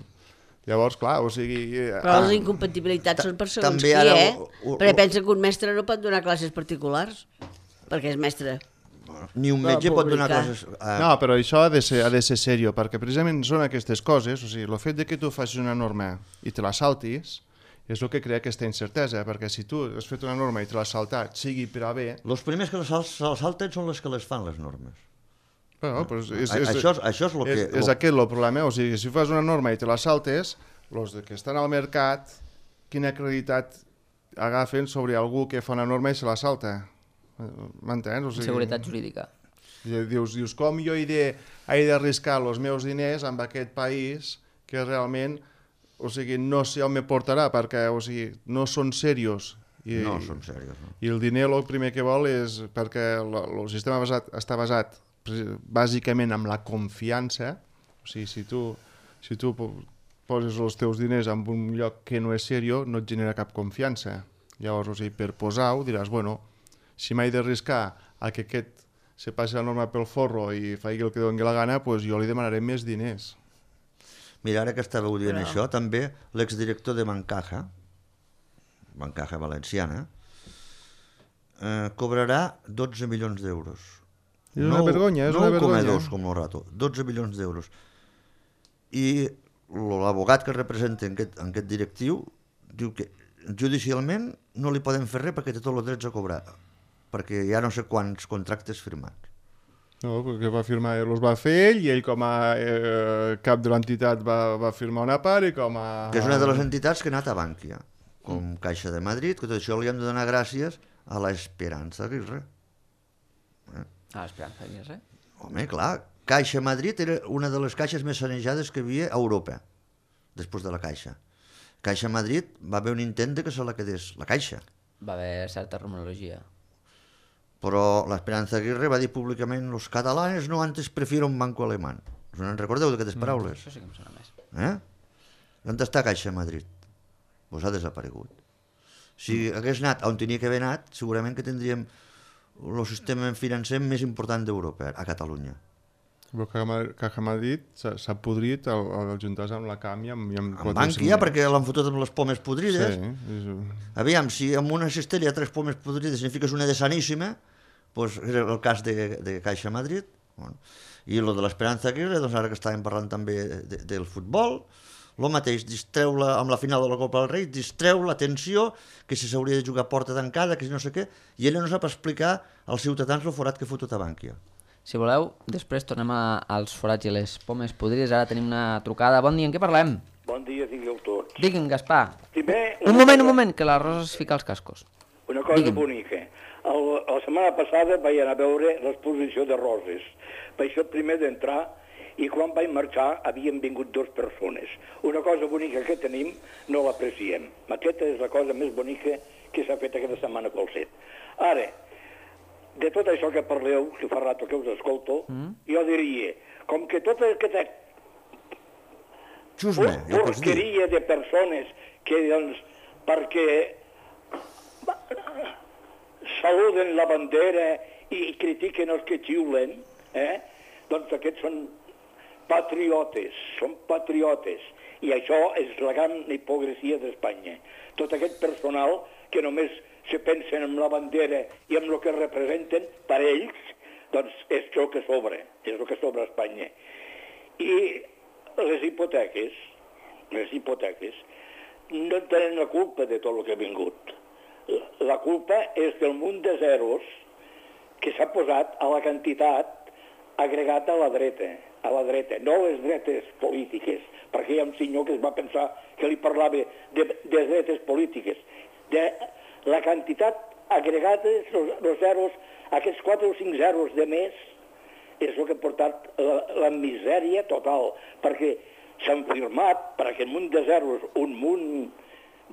Llavors, clar, o sigui... Però les incompatibilitats són per segons qui, eh? Perquè pensa que un mestre no pot donar classes particulars, perquè és mestre. Ni un metge pot donar classes... No, però això ha de ser, ha de ser serio, perquè precisament són aquestes coses, o sigui, el fet de que tu facis una norma i te la saltis, és el que crea aquesta incertesa, perquè si tu has fet una norma i te l'has saltat, sigui per a bé... Els primers que se la salten són les que les fan, les normes. Bueno, pues és, és, això, això és el que... És, és aquest el problema, o sigui, si fas una norma i te la saltes, els que estan al mercat, quina creditat agafen sobre algú que fa una norma i se la salta? M'entens? O sigui, seguretat jurídica. Dius, dius com jo he d'arriscar els meus diners amb aquest país que realment, o sigui, no sé on me portarà, perquè, o sigui, no són serios. I, no són serios, no. I el diner el primer que vol és, perquè el sistema basat, està basat bàsicament amb la confiança, o sigui, si tu, si tu poses els teus diners en un lloc que no és serio, no et genera cap confiança. Llavors, o sigui, per posar-ho, diràs, bueno, si m'he d'arriscar a que aquest se passi la norma pel forro i faci el que doni la gana, doncs jo li demanaré més diners. Mira, ara que estàveu dient Però... això, també l'exdirector de Bancaja, Bancaja Valenciana, eh, cobrarà dotze milions d'euros. És una vergonya, és una vergonya. nou coma dos com el rato, dotze milions d'euros. I l'abogat que representa en aquest, en aquest directiu diu que judicialment no li poden fer res perquè té tots els drets a cobrar, perquè hi ha no sé quants contractes firmats. No, perquè va firmar, els va fer ell i ell com a eh, cap de l'entitat va, va firmar una part i com a... Que és una de les entitats que ha anat a Bànquia, com Caixa de Madrid, que tot això li hem de donar gràcies a l'Esperança Aguirre. Eh? A l'Esperança Aguirre? Home, clar, Caixa Madrid era una de les caixes més sanejades que hi havia a Europa, després de la Caixa. Caixa Madrid va haver un intent de que se la quedés la Caixa. Va haver certa rumorologia. Però l'Esperança Aguirre va dir públicament los catalanes no antes prefieren un banco alemán. Us en recordeu d'aquestes paraules? Mm, això sí que em sona més. Eh? On està Caixa Madrid? Pues ha desaparegut. Si hagués anat on tenia que haver anat, segurament que tindríem el sistema financer més important d'Europa, a Catalunya. Però Caja Madrid s'ha podrit al juntar-se amb la C A M i amb... Amb Bankia, perquè l'han fotut amb les pomes podrides. Sí. Aviam, si amb una cistella hi ha tres pomes podrides signifiques una de saníssima, doncs és el cas de, de Caixa Madrid. Bueno. I el de l'Esperanza Aguirre, doncs ara que estàvem parlant també de, del futbol, el mateix, distreu-la amb la final de la Copa del Rei, distreu l'atenció, que si s'hauria de jugar a porta tancada, que si no sé què, i ella no sap explicar als ciutadans el forat que ha fotut a Bankia. Si voleu, després tornem a, als forats i les pomes podrides. Ara tenim una trucada. Bon dia, en què parlem? Bon dia, digueu tots. Digui'm, Gaspar. Primer, un moment, cosa... un moment, que la Rosa es fica els cascos. Una cosa Digue'm. bonica. El, la setmana passada vaig anar a veure l'exposició de roses. Vaig ser el primer d'entrar i quan vaig marxar havien vingut dues persones. Una cosa bonica que tenim no l'apreciem. Aquesta és la cosa més bonica que s'ha fet aquesta setmana pel set. Ara, de tot això que parleu, que fa rato que us escolto, mm. jo diria, com que tota aquesta Xusme, ja porqueria de persones que, doncs, perquè saluden la bandera i critiquen els que xiulen, eh? doncs aquests són patriotes, són patriotes, i això és la gran hipocresia d'Espanya. Tot aquest personal que només se pensen en la bandera i en el que representen per ells, doncs és el que sobra, és el que sobra a Espanya. I les hipoteques, les hipoteques, no tenen la culpa de tot el que ha vingut. La culpa és del munt de zeros que s'ha posat a la quantitat agregat a la dreta, a la dreta, no les dretes polítiques, perquè hi ha un senyor que es va pensar que li parlava de, de dretes polítiques, de la quantitat agregada, els zeros, aquests quatre o cinc zeros de més, és el que ha portat la, la misèria total, perquè s'han firmat per aquest munt de zeros un munt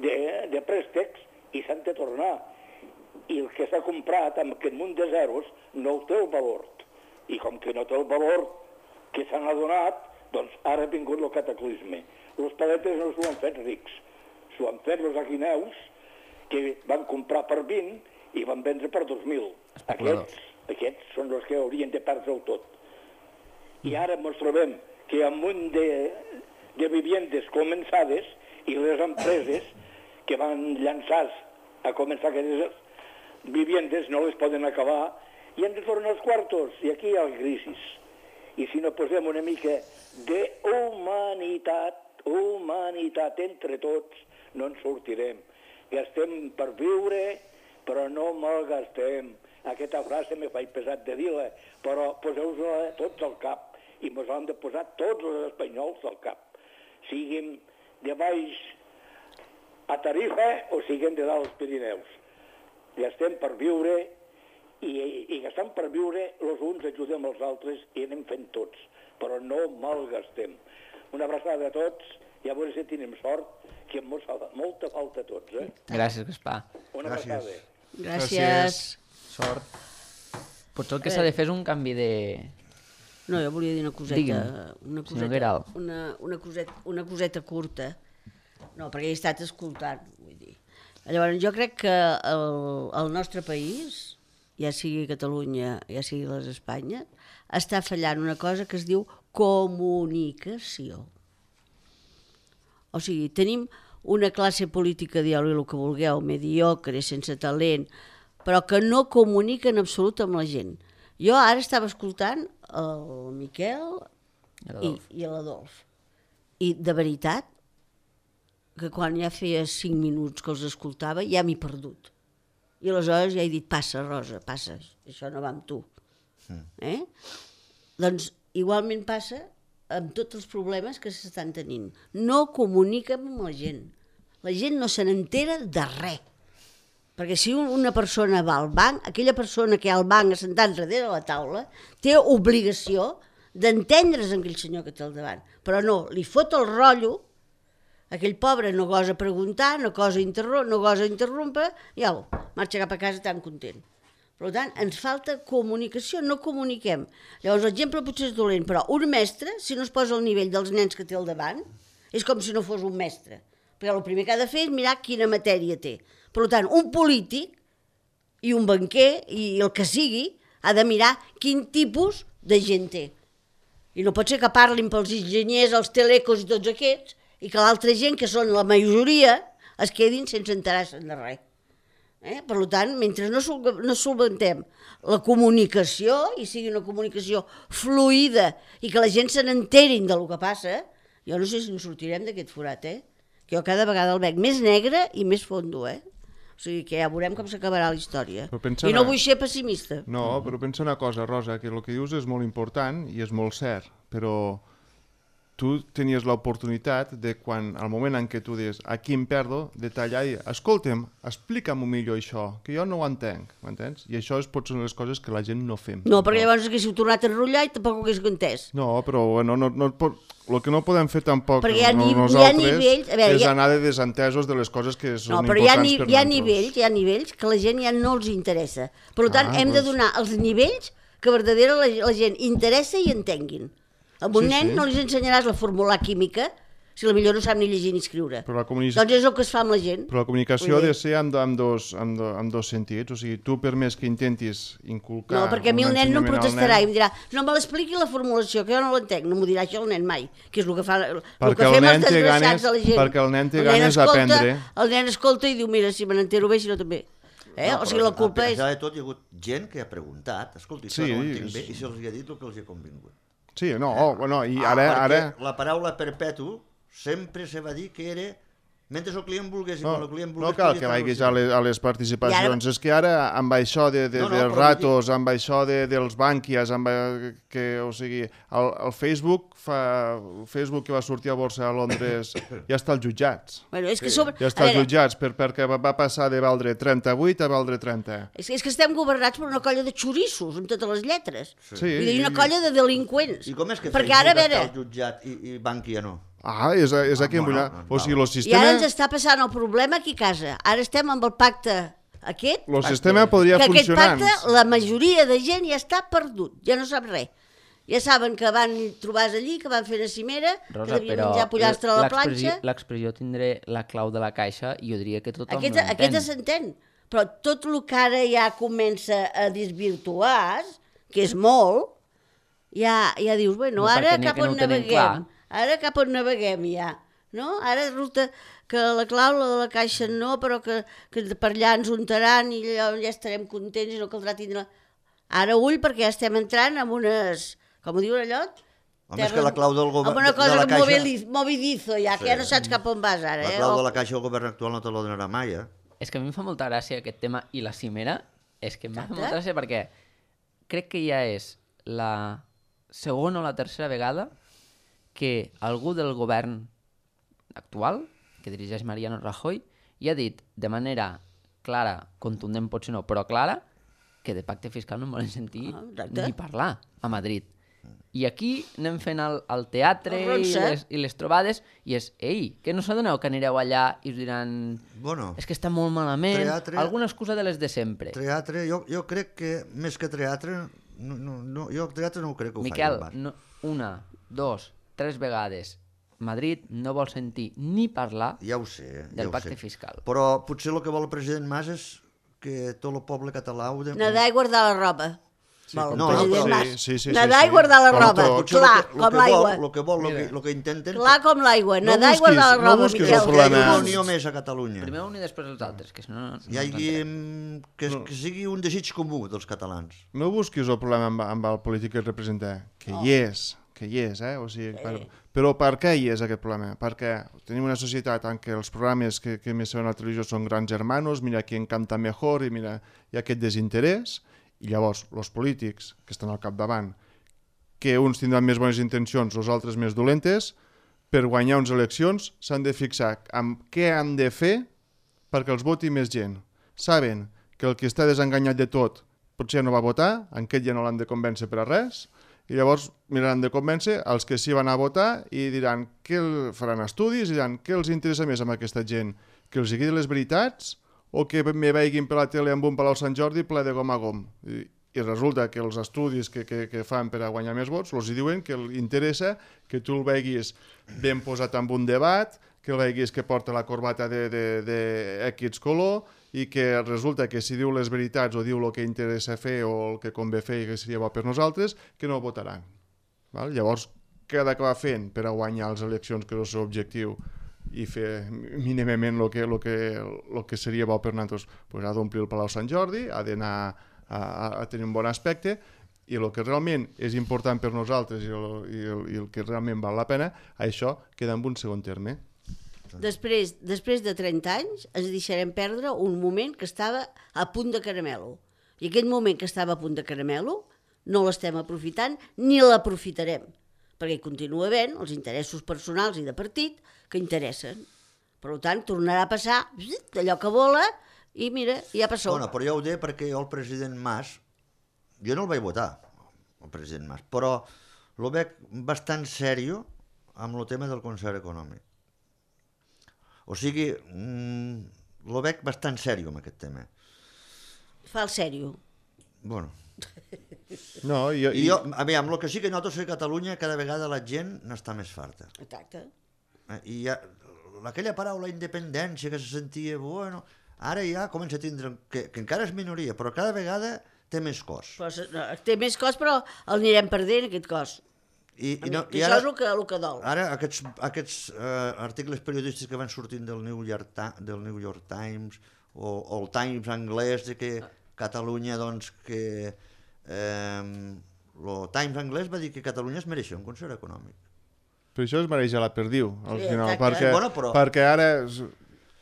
de, de préstecs i s'han de tornar. I el que s'ha comprat amb aquest munt de zeros no té el valor. I com que no té el valor que s'han adonat, doncs ara ha vingut el cataclisme. Els paletes no s'ho han fet rics, s'ho han fet els aguineus, que van comprar per vint i van vendre per dos mil. Aquests, aquests són els que haurien de perdre-ho tot. I ara ens trobem que hi ha un munt de, de viviendes començades i les empreses que van llançar a començar aquestes viviendes no les poden acabar i han de tornar els quartos. I aquí hi ha crisi. I si no posem una mica d'humanitat, humanitat entre tots, no en sortirem. Gastem per viure, però no malgastem. Aquesta frase me faig pesat de dir-la, però poseu-la tots al cap, i ens l'han de posar tots els espanyols al cap. Siguin de baix a Tarifa o siguin de dalt als Pirineus. Gastem per viure, i, i gastant per viure, els uns ajudem els altres i anem fent tots, però no malgastem. Una abraçada a tots, i a veure si tenim sort, que em fa molta falta a tots, eh? Gràcies, Gaspar. Una abraçada. Gràcies. Sort. Potser el que s'ha de fer és un canvi de... No, jo volia dir una coseta. Digue'm, una senyor coseta, Guerau. una, una, coseta, una coseta curta. No, perquè he estat escoltant, vull dir. Llavors, jo crec que el, el nostre país, ja sigui Catalunya, ja sigui les Espanyes, està fallant una cosa que es diu comunicació. O sigui, tenim una classe política, dieu-li el que vulgueu, mediocre, sense talent, però que no comunica en absolut amb la gent. Jo ara estava escoltant el Miquel i, i l'Adolf. I de veritat, que quan ja feia cinc minuts que els escoltava, ja m'he perdut. I aleshores ja he dit, passa, Rosa, passa, això no va amb tu. Eh? Doncs igualment passa amb tots els problemes que s'estan tenint. No comuniquen amb la gent. La gent no se n'entera de res. Perquè si una persona va al banc, aquella persona que hi ha al banc assentat darrere la taula té obligació d'entendre's amb aquell senyor que té al davant. Però no, li fot el rotllo, aquell pobre no gosa preguntar, no gosa interrompre, no gosa interrompre, i au, marxa cap a casa tan content. Per tant, ens falta comunicació, no comuniquem. Llavors, l'exemple potser és dolent, però un mestre, si no es posa al nivell dels nens que té al davant, És com si no fos un mestre. Perquè el primer que ha de fer és mirar quina matèria té. Per tant, un polític i un banquer, i el que sigui, ha de mirar quin tipus de gent té. I no pot ser que parlin pels enginyers, els telecos i tots aquests, i que l'altra gent, que són la majoria, es quedin sense enterar-se'n de res. Eh? Per tant, mentre no, sol no solventem la comunicació, i sigui una comunicació fluida, i que la gent se n'enterin del que passa, jo no sé si ens sortirem d'aquest forat, eh? Que jo cada vegada el veig més negre i més fondo, eh? O sigui que ja veurem com s'acabarà la història. I no vull ser pessimista. No, però pensa una cosa, Rosa, que el que dius és molt important i és molt cert, però tu tenies l'oportunitat de quan, al moment en què tu dius aquí em perdo, de tallar i dir, escolta'm, explica'm millor això, que jo no ho entenc, m'entens? I això és, pot ser una de les coses que la gent no fem. No, perquè llavors haguéssiu tornat a enrotllar i tampoc ho haguéssiu entès. No, però bueno, no, no, no, el que no podem fer tampoc hi ha, no, nosaltres hi ha nivells, veure, és ha... anar de desentesos de les coses que són no, però importants hi ha, ni, per hi ha nosaltres. nivells, hi ha nivells que la gent ja no els interessa. Per tant, Ah, hem doncs... de donar els nivells que verdaderament la, la gent interessa i entenguin. A un Sí, nen sí. no li ensenyaràs la fórmula química si la millor no sap ni llegir ni escriure. Però la, comunic... Doncs és el que es fa amb la gent. però la comunicació Vull ha dir- de ser amb, amb, dos, amb, do, amb dos sentits. O sigui, tu per més que intentis inculcar... No, perquè a mi un el nen no em ensenyament al protestarà nen, i em dirà no me l'expliqui la formulació, que jo no l'entenc. No m'ho dirà això el nen mai, que és el que, fa, el Perquè que el fem nen els té desgraciats ganes- de la gent. perquè el nen té nen ganes escolta- d'aprendre. El nen escolta i diu, mira, si me n'entero bé, si no també. Eh? No, O sigui, però la culpa a és... pesar de tot, hi ha hagut gent que ha preguntat, escolti, això Sí, no ho entenc és- bé, i se'ls ha dit el que els ha convingut. Sí, no, oh, bueno, i Ah, ara... perquè ara... la paraula perpetu sempre se va dir que era mentre el client volgués i No, quan el client no volgués... cal podia que fer vagis el a les, a les participacions, I és que ara amb això de, de, No, no, dels però ratos, amb això de, dels bànquies, amb, eh, que, o sigui, el, el Facebook fa, el Facebook que va sortir a borsa a Londres ja està als jutjats. Bueno, és que sobre... Ja a està als veure, jutjats per, perquè va, va passar de valdre trenta-vuit a valdre trenta. És que, és que estem governats per una colla de xorissos, amb totes les lletres. Sí. Vull dir, una colla de delinqüents. I com és que Perquè Facebook ara, a veure, està al jutjat i, i Bankia no? Ah, és, és aquí Ah, en bueno, Bullar. doncs O sigui, val. el i sistema, ara ens està passant el problema aquí a casa. Ara estem amb el pacte aquest, el sistema podria que aquest funcionar. pacte, la majoria de gent ja està perdut, ja no sap res. Ja saben que van trobar allí, que van fer una cimera, que Rosa, devien però menjar pollastre a la l'expressió- planxa. l'expressió tindré la clau de la caixa i jo diria que tothom Aquest, l'entén. aquest s'entén, però tot el que ara ja comença a desvirtuar, que és molt, ja, ja dius, bueno, No, ara perquè n'hi ha cap que on no ho tenen naveguem, clar. ara cap on naveguem ja, no? Ara resulta que la clau la de la caixa no, però que, que per allà ens untaran i allò ja estarem contents i no caldrà tindre... Ara ull, perquè ja estem entrant en unes, com ho diuen allò? Home, és que la clau del govern- Amb una de cosa la que caixa- moviliz, movidizo ja, que Sí. ja no saps cap on vas ara. La eh? clau de O- la caixa del govern actual no te la donarà mai, eh? És que a mi em fa molta gràcia aquest tema i la cimera, és que em fa Exacte. molta gràcia perquè crec que ja és la segona o la tercera vegada que algú del govern actual, que dirigeix Mariano Rajoy, ja ha dit de manera clara, contundent potser no, però clara, que de pacte fiscal no en volen sentir Ah, exacte. ni parlar a Madrid. I aquí anem fent el, el teatre El i ronsa. les, i les trobades i és, ei, que no s'adoneu que anireu allà i us diran Bueno, és que està molt malament, Teatre- alguna excusa de les de sempre. teatre, jo, jo crec que més que teatre, no, no, no, jo teatre no ho crec que ho Miquel, faci el Bar. no, una, dos, tres vegades Madrid no vol sentir ni parlar Ja ho sé, ja del ho pacte sé. fiscal. Però potser el que vol el president Mas és que tot el poble català ho... De... Nedar i guardar la roba. Sí, com- el no, president però- Mas. Sí, sí, sí, Nedar sí, i guardar la com roba, tot. Potser clar, el que, el com que l'aigua. Vol, el que vol, el que, el que intenten... Clar com l'aigua, No nedar i busquis- guardar la no roba, busquis el Miquel. que hi hagi problema. una unió més a Catalunya. Primer un i després els altres, que si no... no Hi hagi, no mm, que, que sigui un desig comú dels catalans. No busquis el problema amb, amb el polític que representa, que hi és, que hi és, eh? O sigui, per, però per què hi és aquest problema? Perquè tenim una societat en què els programes que, que més se veuen a la televisió són grans hermanos, mira qui encanta mejor, i mira, hi ha aquest desinterès, i llavors els polítics que estan al capdavant, que uns tindran més bones intencions, els altres més dolentes, per guanyar unes eleccions s'han de fixar en què han de fer perquè els voti més gent. Saben que el que està desenganyat de tot potser no va votar, en aquest ja no l'han de convèncer per a res, i llavors miraran de convèncer els que sí van a votar i diran què el, faran estudis i diran què els interessa més amb aquesta gent, que els digui les veritats o que me veiguin per la tele amb un Palau Sant Jordi ple de gom a gom. I, i resulta que els estudis que, que, que fan per a guanyar més vots els diuen que interessa que tu el veguis ben posat en un debat, que el veguis que porta la corbata de, de, de X color i que resulta que si diu les veritats o diu el que interessa fer o el que convé fer i que seria bo per nosaltres, que no el votaran. Val? Llavors, què ha d'acabar fent per a guanyar les eleccions, que és el seu objectiu, i fer mínimament el que, el que, el que seria bo per nosaltres? Pues ha d'omplir el Palau Sant Jordi, ha d'anar a, a tenir un bon aspecte, i el que realment és important per nosaltres i el, i el, i el que realment val la pena, això queda en un segon terme. Després, després de trenta anys ens deixarem perdre un moment que estava a punt de caramelo. I aquest moment que estava a punt de caramelo no l'estem aprofitant ni l'aprofitarem, perquè hi continua havent els interessos personals i de partit que interessen. Per tant, tornarà a passar allò que vola i mira, ja passó. Bueno, però jo ho deia perquè jo el president Mas, jo no el vaig votar, el president Mas, però el veig bastant sèrio amb el tema del concert econòmic. O sigui, mmm, el veig bastant sèrio amb aquest tema. Fa el sèrio. Bueno. No, jo, I jo, a veure, amb el que sí que noto és que a Catalunya cada vegada la gent n'està més farta. Exacte. I ja, aquella paraula independència que se sentia, bueno, ara ja comença a tindre, que, que encara és minoria, però cada vegada té més cos. Però, no, té més cos, però el anirem perdent, aquest cos. I, i no, I i ara, això és el que, el que dol. Ara aquests, aquests uh, articles periodístics que van sortint del New York, del New York Times o, o el Times anglès, de que Catalunya, doncs, que eh, el Times anglès va dir que Catalunya es mereixia un concert econòmic. Per això es mereix a la perdiu, al Sí, final, exacte. perquè, Bueno, però- perquè ara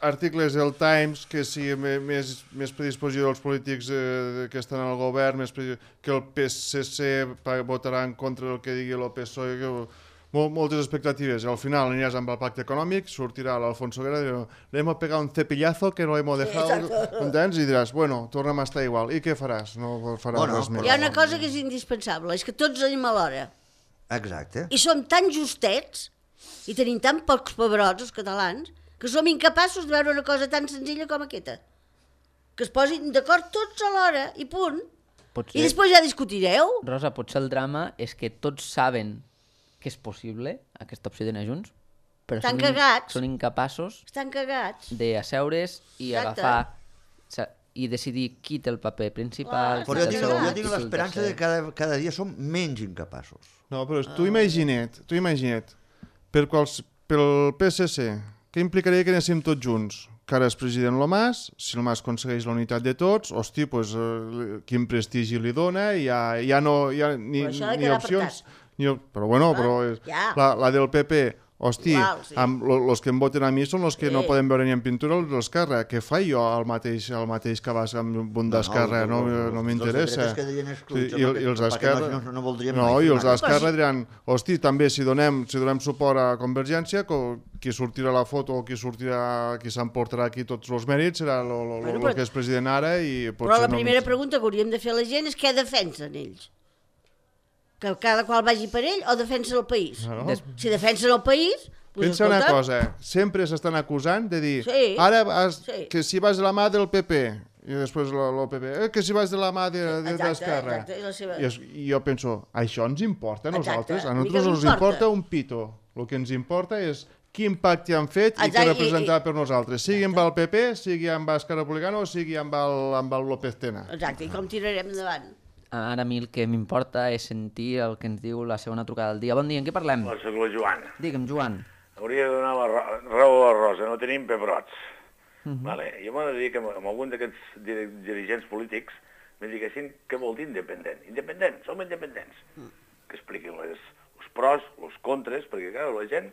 articles del Times que sigui me- més, més predisposició dels polítics eh, que estan al govern, més predi- que el P S C pa- votarà en contra del que digui el P S O E, que, mol, moltes expectatives. Al final aniràs amb el pacte econòmic, sortirà l'Alfonso Guerra i dirà, le hemos pegado un cepillazo que no lo hemos dejado, entens? I diràs, bueno, tornem a estar igual. I què faràs? No faràs Bueno, res més. Hi ha una cosa que és indispensable, és que tots anem a l'hora. Exacte. I som tan justets i tenim tan pocs pebrots, els catalans, que som incapaços de veure una cosa tan senzilla com aquesta. Que es posin d'acord tots a l'hora i punt. Potser, I després ja discutireu. Rosa, potser el drama és que tots saben que és possible aquesta opció d'anar junts, però Estan són, in- cagats. són incapaços Estan cagats. d'asseure's i Exacte. agafar sa- i decidir qui té el paper principal, Clar, qui Però té jo el tinc, segon, jo qui tinc té el l'esperança tercer. de que cada, cada dia som menys incapaços. No, però tu imagina't, tu imagina't, per quals, pel P S C, què implicaria que anéssim tots junts? Que ara és president el Mas, si el Mas aconsegueix la unitat de tots, hosti, pues, eh, quin prestigi li dona, ja, ja no hi ha ni, Però això ha de ni quedar opcions. Ni, op- però bueno, Ah, però és, ja. la, la del P P, hosti, Igual, sí. amb lo, los que em voten a mi són els que Sí. no poden veure ni en pintura els d'Esquerra. Què fa jo el mateix, el mateix que vas amb un d'Esquerra? No, els- no, els- no els m'interessa. dretes que deien excluïts, I, home, i els perquè d'Esquerra... no- no- no voldrien no, mai i fer els una d'Esquerra diran, hosti, també si donem, si donem suport a Convergència, co- qui sortirà la foto o qui sortirà, qui s'emportarà aquí tots els mèrits serà el Bueno, però- que és president ara i Però potser la no... primera pregunta que hauríem de fer a la gent és què defensen ells. Que cada qual vagi per ell o defensa el país. No. Des- Si defensen el país... Pues, Pensa una escolta, cosa, sempre s'estan acusant de dir Sí. ara has, Sí. que si vas de la mà del P P i després el P P, eh, que si vas de la mà de, de, Exacte, d'Esquerra. exacte, i la seva- I, es, I jo penso, això ens importa a Exacte, nosaltres? A a mi què nosaltres ens m'importa? importa un pito. El que ens importa és quin pacte han fet i Exacte, què i- representarà i- per nosaltres, sigui amb el P P, sigui amb Esquerra Republicana o sigui amb el, amb el López Tena. Exacte, i com tirarem endavant? Ara a mi el que m'importa és sentir el que ens diu la segona trucada del dia. Bon dia, en què parlem? Hola, soc la Joana. Digue'm, Joan. Hauria de donar la ra- raó a la Rosa, no tenim pebrots. Uh -huh. Vale? Jo m'ho he de dir que amb, amb algun d'aquests dir dirigents polítics me diguessin què vol dir independent. Independent, som independents. Uh. Que expliquin les, els pros, els contres, perquè clar, la gent,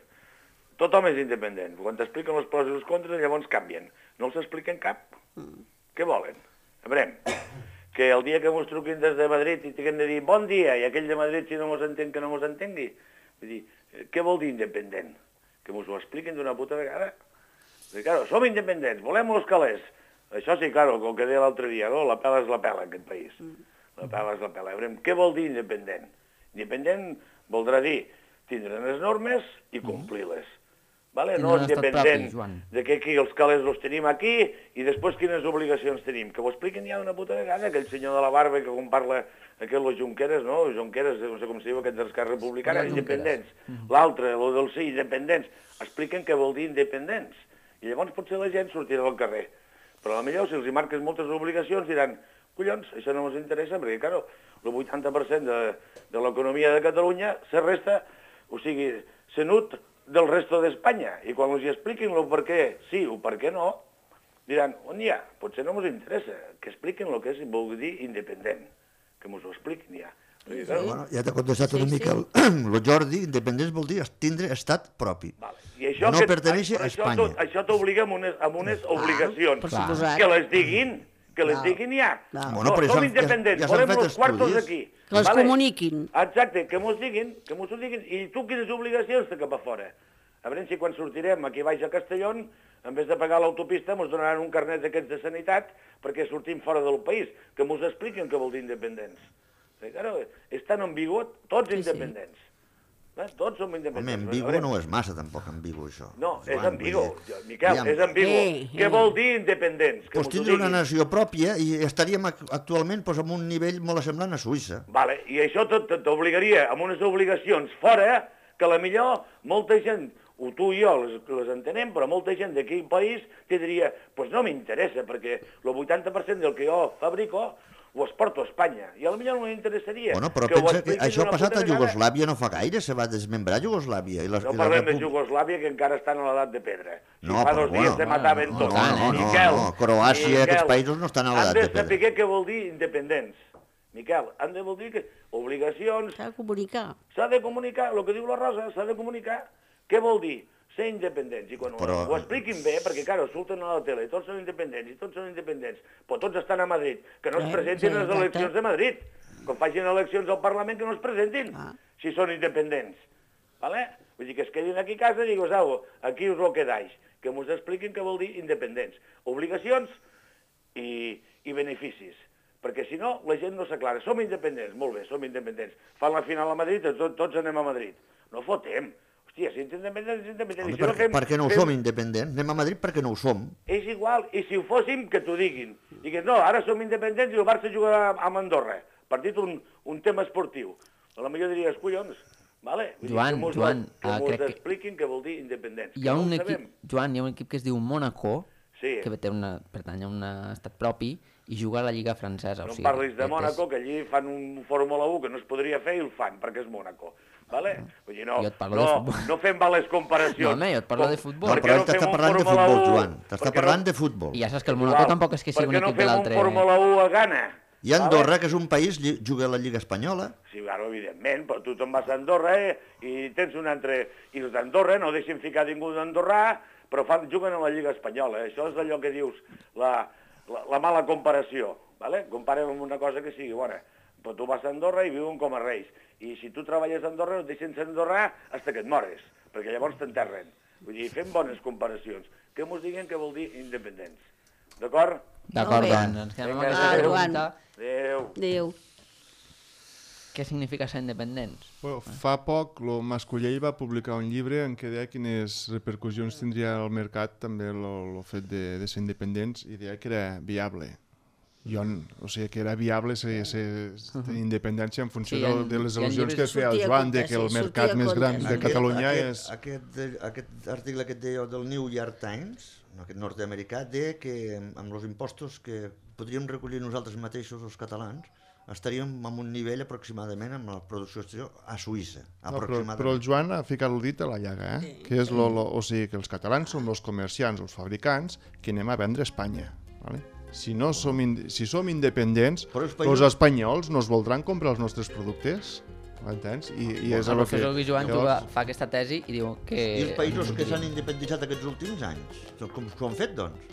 tothom és independent. Quan t'expliquen els pros i els contres, llavors canvien. No els expliquen cap. Uh. Què volen? A veure, que el dia que mos truquin des de Madrid i tinguem de dir bon dia, i aquell de Madrid si no mos entén que no mos entengui. Vull dir, què vol dir independent? Que mos ho expliquin d'una puta vegada. Perquè, claro, som independents, volem els calés. Això sí, claro, com que deia l'altre dia, no? La pela és la pela, en aquest país. La pela és la pela. A veure, què vol dir independent? Independent voldrà dir tindre les normes i complir-les. vale? I no no un estat independent propi, Joan. de que aquí els calés els tenim aquí i després quines obligacions tenim. Que ho expliquen ja una puta vegada, aquell senyor de la barba que com parla aquest, los Junqueras, no? Junqueras, no sé com se diu, aquest d'Esquerra Republicana, independents. L'altre, el del sí, independents. Expliquen què vol dir independents. I llavors potser la gent sortirà al carrer. Però potser si els hi marques moltes obligacions diran collons, això no ens interessa, perquè, clar, el vuitanta per cent de, de l'economia de Catalunya se resta, o sigui, se nut del resto d'Espanya. I quan els hi expliquin el per què sí o per què no, diran, on hi ha? Potser no ens interessa, que expliquin el que és, vol dir independent, que ens ho expliquin ja. Perquè, clar, Bueno, ja t'ha contestat Sí, una sí. mica el, el Jordi, independents vol dir tindre estat propi. Vale. I això No que, perteneixi però a això Espanya. tot- Això t'obliga amb unes, amb unes obligacions. per suposat. Que les diguin, que les Clar. diguin ja. Clar. Bueno, no, però ja som s'han- independents, ja- ja s'han volem fet els quartos estudis. aquí. Que les comuniquin. Exacte, que mos diguin, que mos ho diguin. I tu quines obligacions té cap a fora? A veure si quan sortirem aquí baix a Castelló, en vez de pagar l'autopista, mos donaran un carnet d'aquests de sanitat perquè sortim fora del país, que mos expliquen què vol dir independents. Perquè, claro, és tan ambigu, tots Sí, sí. independents. Eh? Tots som Home, independents. ambigu A veure, no és massa, tampoc, ambigu, això. No, és Joan, ambigu, vull dir, Miquel, aviam, és ambigu. Eh, Què eh. vol dir independents? Que Pues mos ho tindre una diguin. nació pròpia i estaríem ac- actualment pues, en un nivell molt semblant a Suïssa. Vale, i això tot t'obligaria amb unes obligacions fora que a la millor molta gent, o tu i jo les, les entenem, però molta gent d'aquí al país te diria, pues no m'interessa, perquè el vuitanta per cent del que jo fabrico ho exporto a Espanya, i a la millor no m'interessaria. Bueno, però que ho pensa que expliquis això ha una passat puta a vegada. Iugoslàvia no fa gaire, se va desmembrar Iugoslàvia. I les, No i la parlem de República- Jugoslàvia, que encara estan a l'edat de pedra. Si No, fa però dos dies bueno, se mataven no, tots. no, no, no, Miquel, no, Croàcia i aquests Miquel, països no estan a l'edat de Han de pedra. saber què vol dir independents. Miquel, han de vol dir que obligacions, S'ha de comunicar. s'ha de comunicar, el que diu la Rosa, s'ha de comunicar. Què vol dir? Ser independents. I quan Però- ho, ho expliquin bé, perquè, clar, surten a la tele, tots són independents, i tots són independents, però tots estan a Madrid, que no es Eh, presentin sí, a les exacte. eleccions de Madrid. Quan facin eleccions al Parlament, que no es presentin, Ah. si són independents. Vale? Vull dir que es quedin aquí a casa i digues, au, aquí us lo quedáis. Que mos expliquin què vol dir independents. Obligacions i, i beneficis. Perquè si no, la gent no s'aclara. Som independents, molt bé, som independents. Fan la final a Madrid, tot, tots anem a Madrid. No fotem. Hòstia, si ets independent, ets independent. Home, I si no per, fem- per què no ho fem- som independents? Anem a Madrid perquè no ho som. És igual, i si ho fóssim, que t'ho diguin. Digues, no, ara som independents i el Barça jugarà amb Andorra. Partit un, un tema esportiu. A la millor diries, collons, vale? Vull dir, Joan, que mos, Joan, que ah, mos crec que- expliquin què vol dir independents. Hi ha que no un ho equip, sabem. Joan, hi ha un equip que es diu Mónaco, Sí. que té una, pertany a un estat propi i juga a la Lliga Francesa. No o em sigui, parlis de que és- Mònaco, que allí fan un Fórmula un que no es podria fer i el fan, perquè és Mònaco. Vale? Vull dir, no, Jo et parlo no, de futbol. no fem males comparacions. No, home, jo et parlo Com- de futbol. per No, què però ell fem t'està un parlant de Fórmula futbol, un? Joan. Per T'està què parlant no- de futbol. I ja saps que el Igual, Mónaco tampoc és que sigui un per què equip de no l'altre. fem un Fórmula un a Ghana? I Andorra, que és un país, lli- juga a la Lliga Espanyola. Sí, claro, evidentment, però tu te'n vas a Andorra eh, i tens un altre... I els d'Andorra no deixen ficar ningú d'Andorrà, però fan, juguen a la Lliga Espanyola. Eh? Això és allò que dius, la, la, la mala comparació. Vale? Comparem amb una cosa que sigui bona. Però tu vas a Andorra i viuen com a reis. I si tu treballes a Andorra no et deixen ser andorrà fins que et mores, perquè llavors t'enterren. Vull dir, fem bones comparacions. Que mos diguen què vol dir independents. D'acord? D'acord, Molt bé. doncs, ens quedem amb Vinga, aquesta adéu. pregunta. Adéu. Adéu. Què significa ser independents? Bueno, fa poc el Mascullell va publicar un llibre en què deia quines repercussions tindria al mercat també el fet de, de ser independents i deia que era viable. Jo, o sigui, que era viable ser, ser, tenir independència en funció Sí, de, en- de les hi ha al·lusions que llibres- feia el Sortia a Joan, compte, de que el sí, mercat sortia a més compte, gran sí. de Catalunya aquest, és... Aquest, aquest article que et deia del New York Times, no, aquest nord-americà, deia que amb els impostos que podríem recollir nosaltres mateixos, els catalans, estaríem en un nivell aproximadament amb la producció exterior a Suïssa. No, però, Aproximadament. però el Joan ha ficat el dit a la llaga, eh? que és lo, lo, o sigui, que els catalans som els comerciants, els fabricants, que anem a vendre a Espanya. Vale? Si, no som in, si som independents, Però els els, països- espanyols no es voldran comprar els nostres productes, m'entens? I, i és El el que... professor Joan llavors- llavors... fa aquesta tesi i diu que... I els països que s'han independitzat aquests últims anys, com, com han fet, doncs?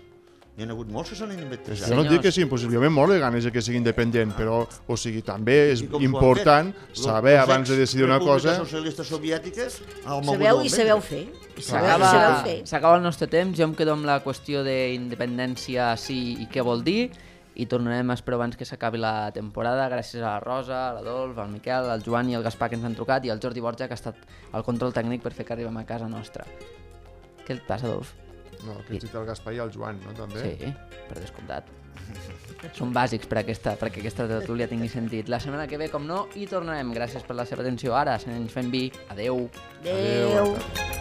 N'hi ha hagut molts que s'han independitzat. Jo no et dic que sigui impossible, a mi molt de ganes de que sigui independent, però o sigui, també és I com s'ho han important fet? saber Les abans de decidir una cosa... repúbliques socialistes soviètiques el mogut Sabeu del i sabeu vendre. fer. I sabeu, i S'acaba sabeu fer. s'acaba el nostre temps, jo em quedo amb la qüestió d'independència sí i què vol dir i tornarem, espero, abans que s'acabi la temporada, gràcies a la Rosa, a l'Adolf, al Miquel, al Joan i al Gaspar que ens han trucat i al Jordi Borja que ha estat al control tècnic per fer que arribem a casa nostra. Què et passa, Adolf? No, que ets el Gaspar i el Joan, no, també? Sí, per descomptat. Són bàsics per aquesta, perquè aquesta tertúlia tingui sentit. La setmana que ve, com no, hi tornarem. Gràcies per la seva atenció. Ara, ens fem vi. Adeu. Adéu. Adéu.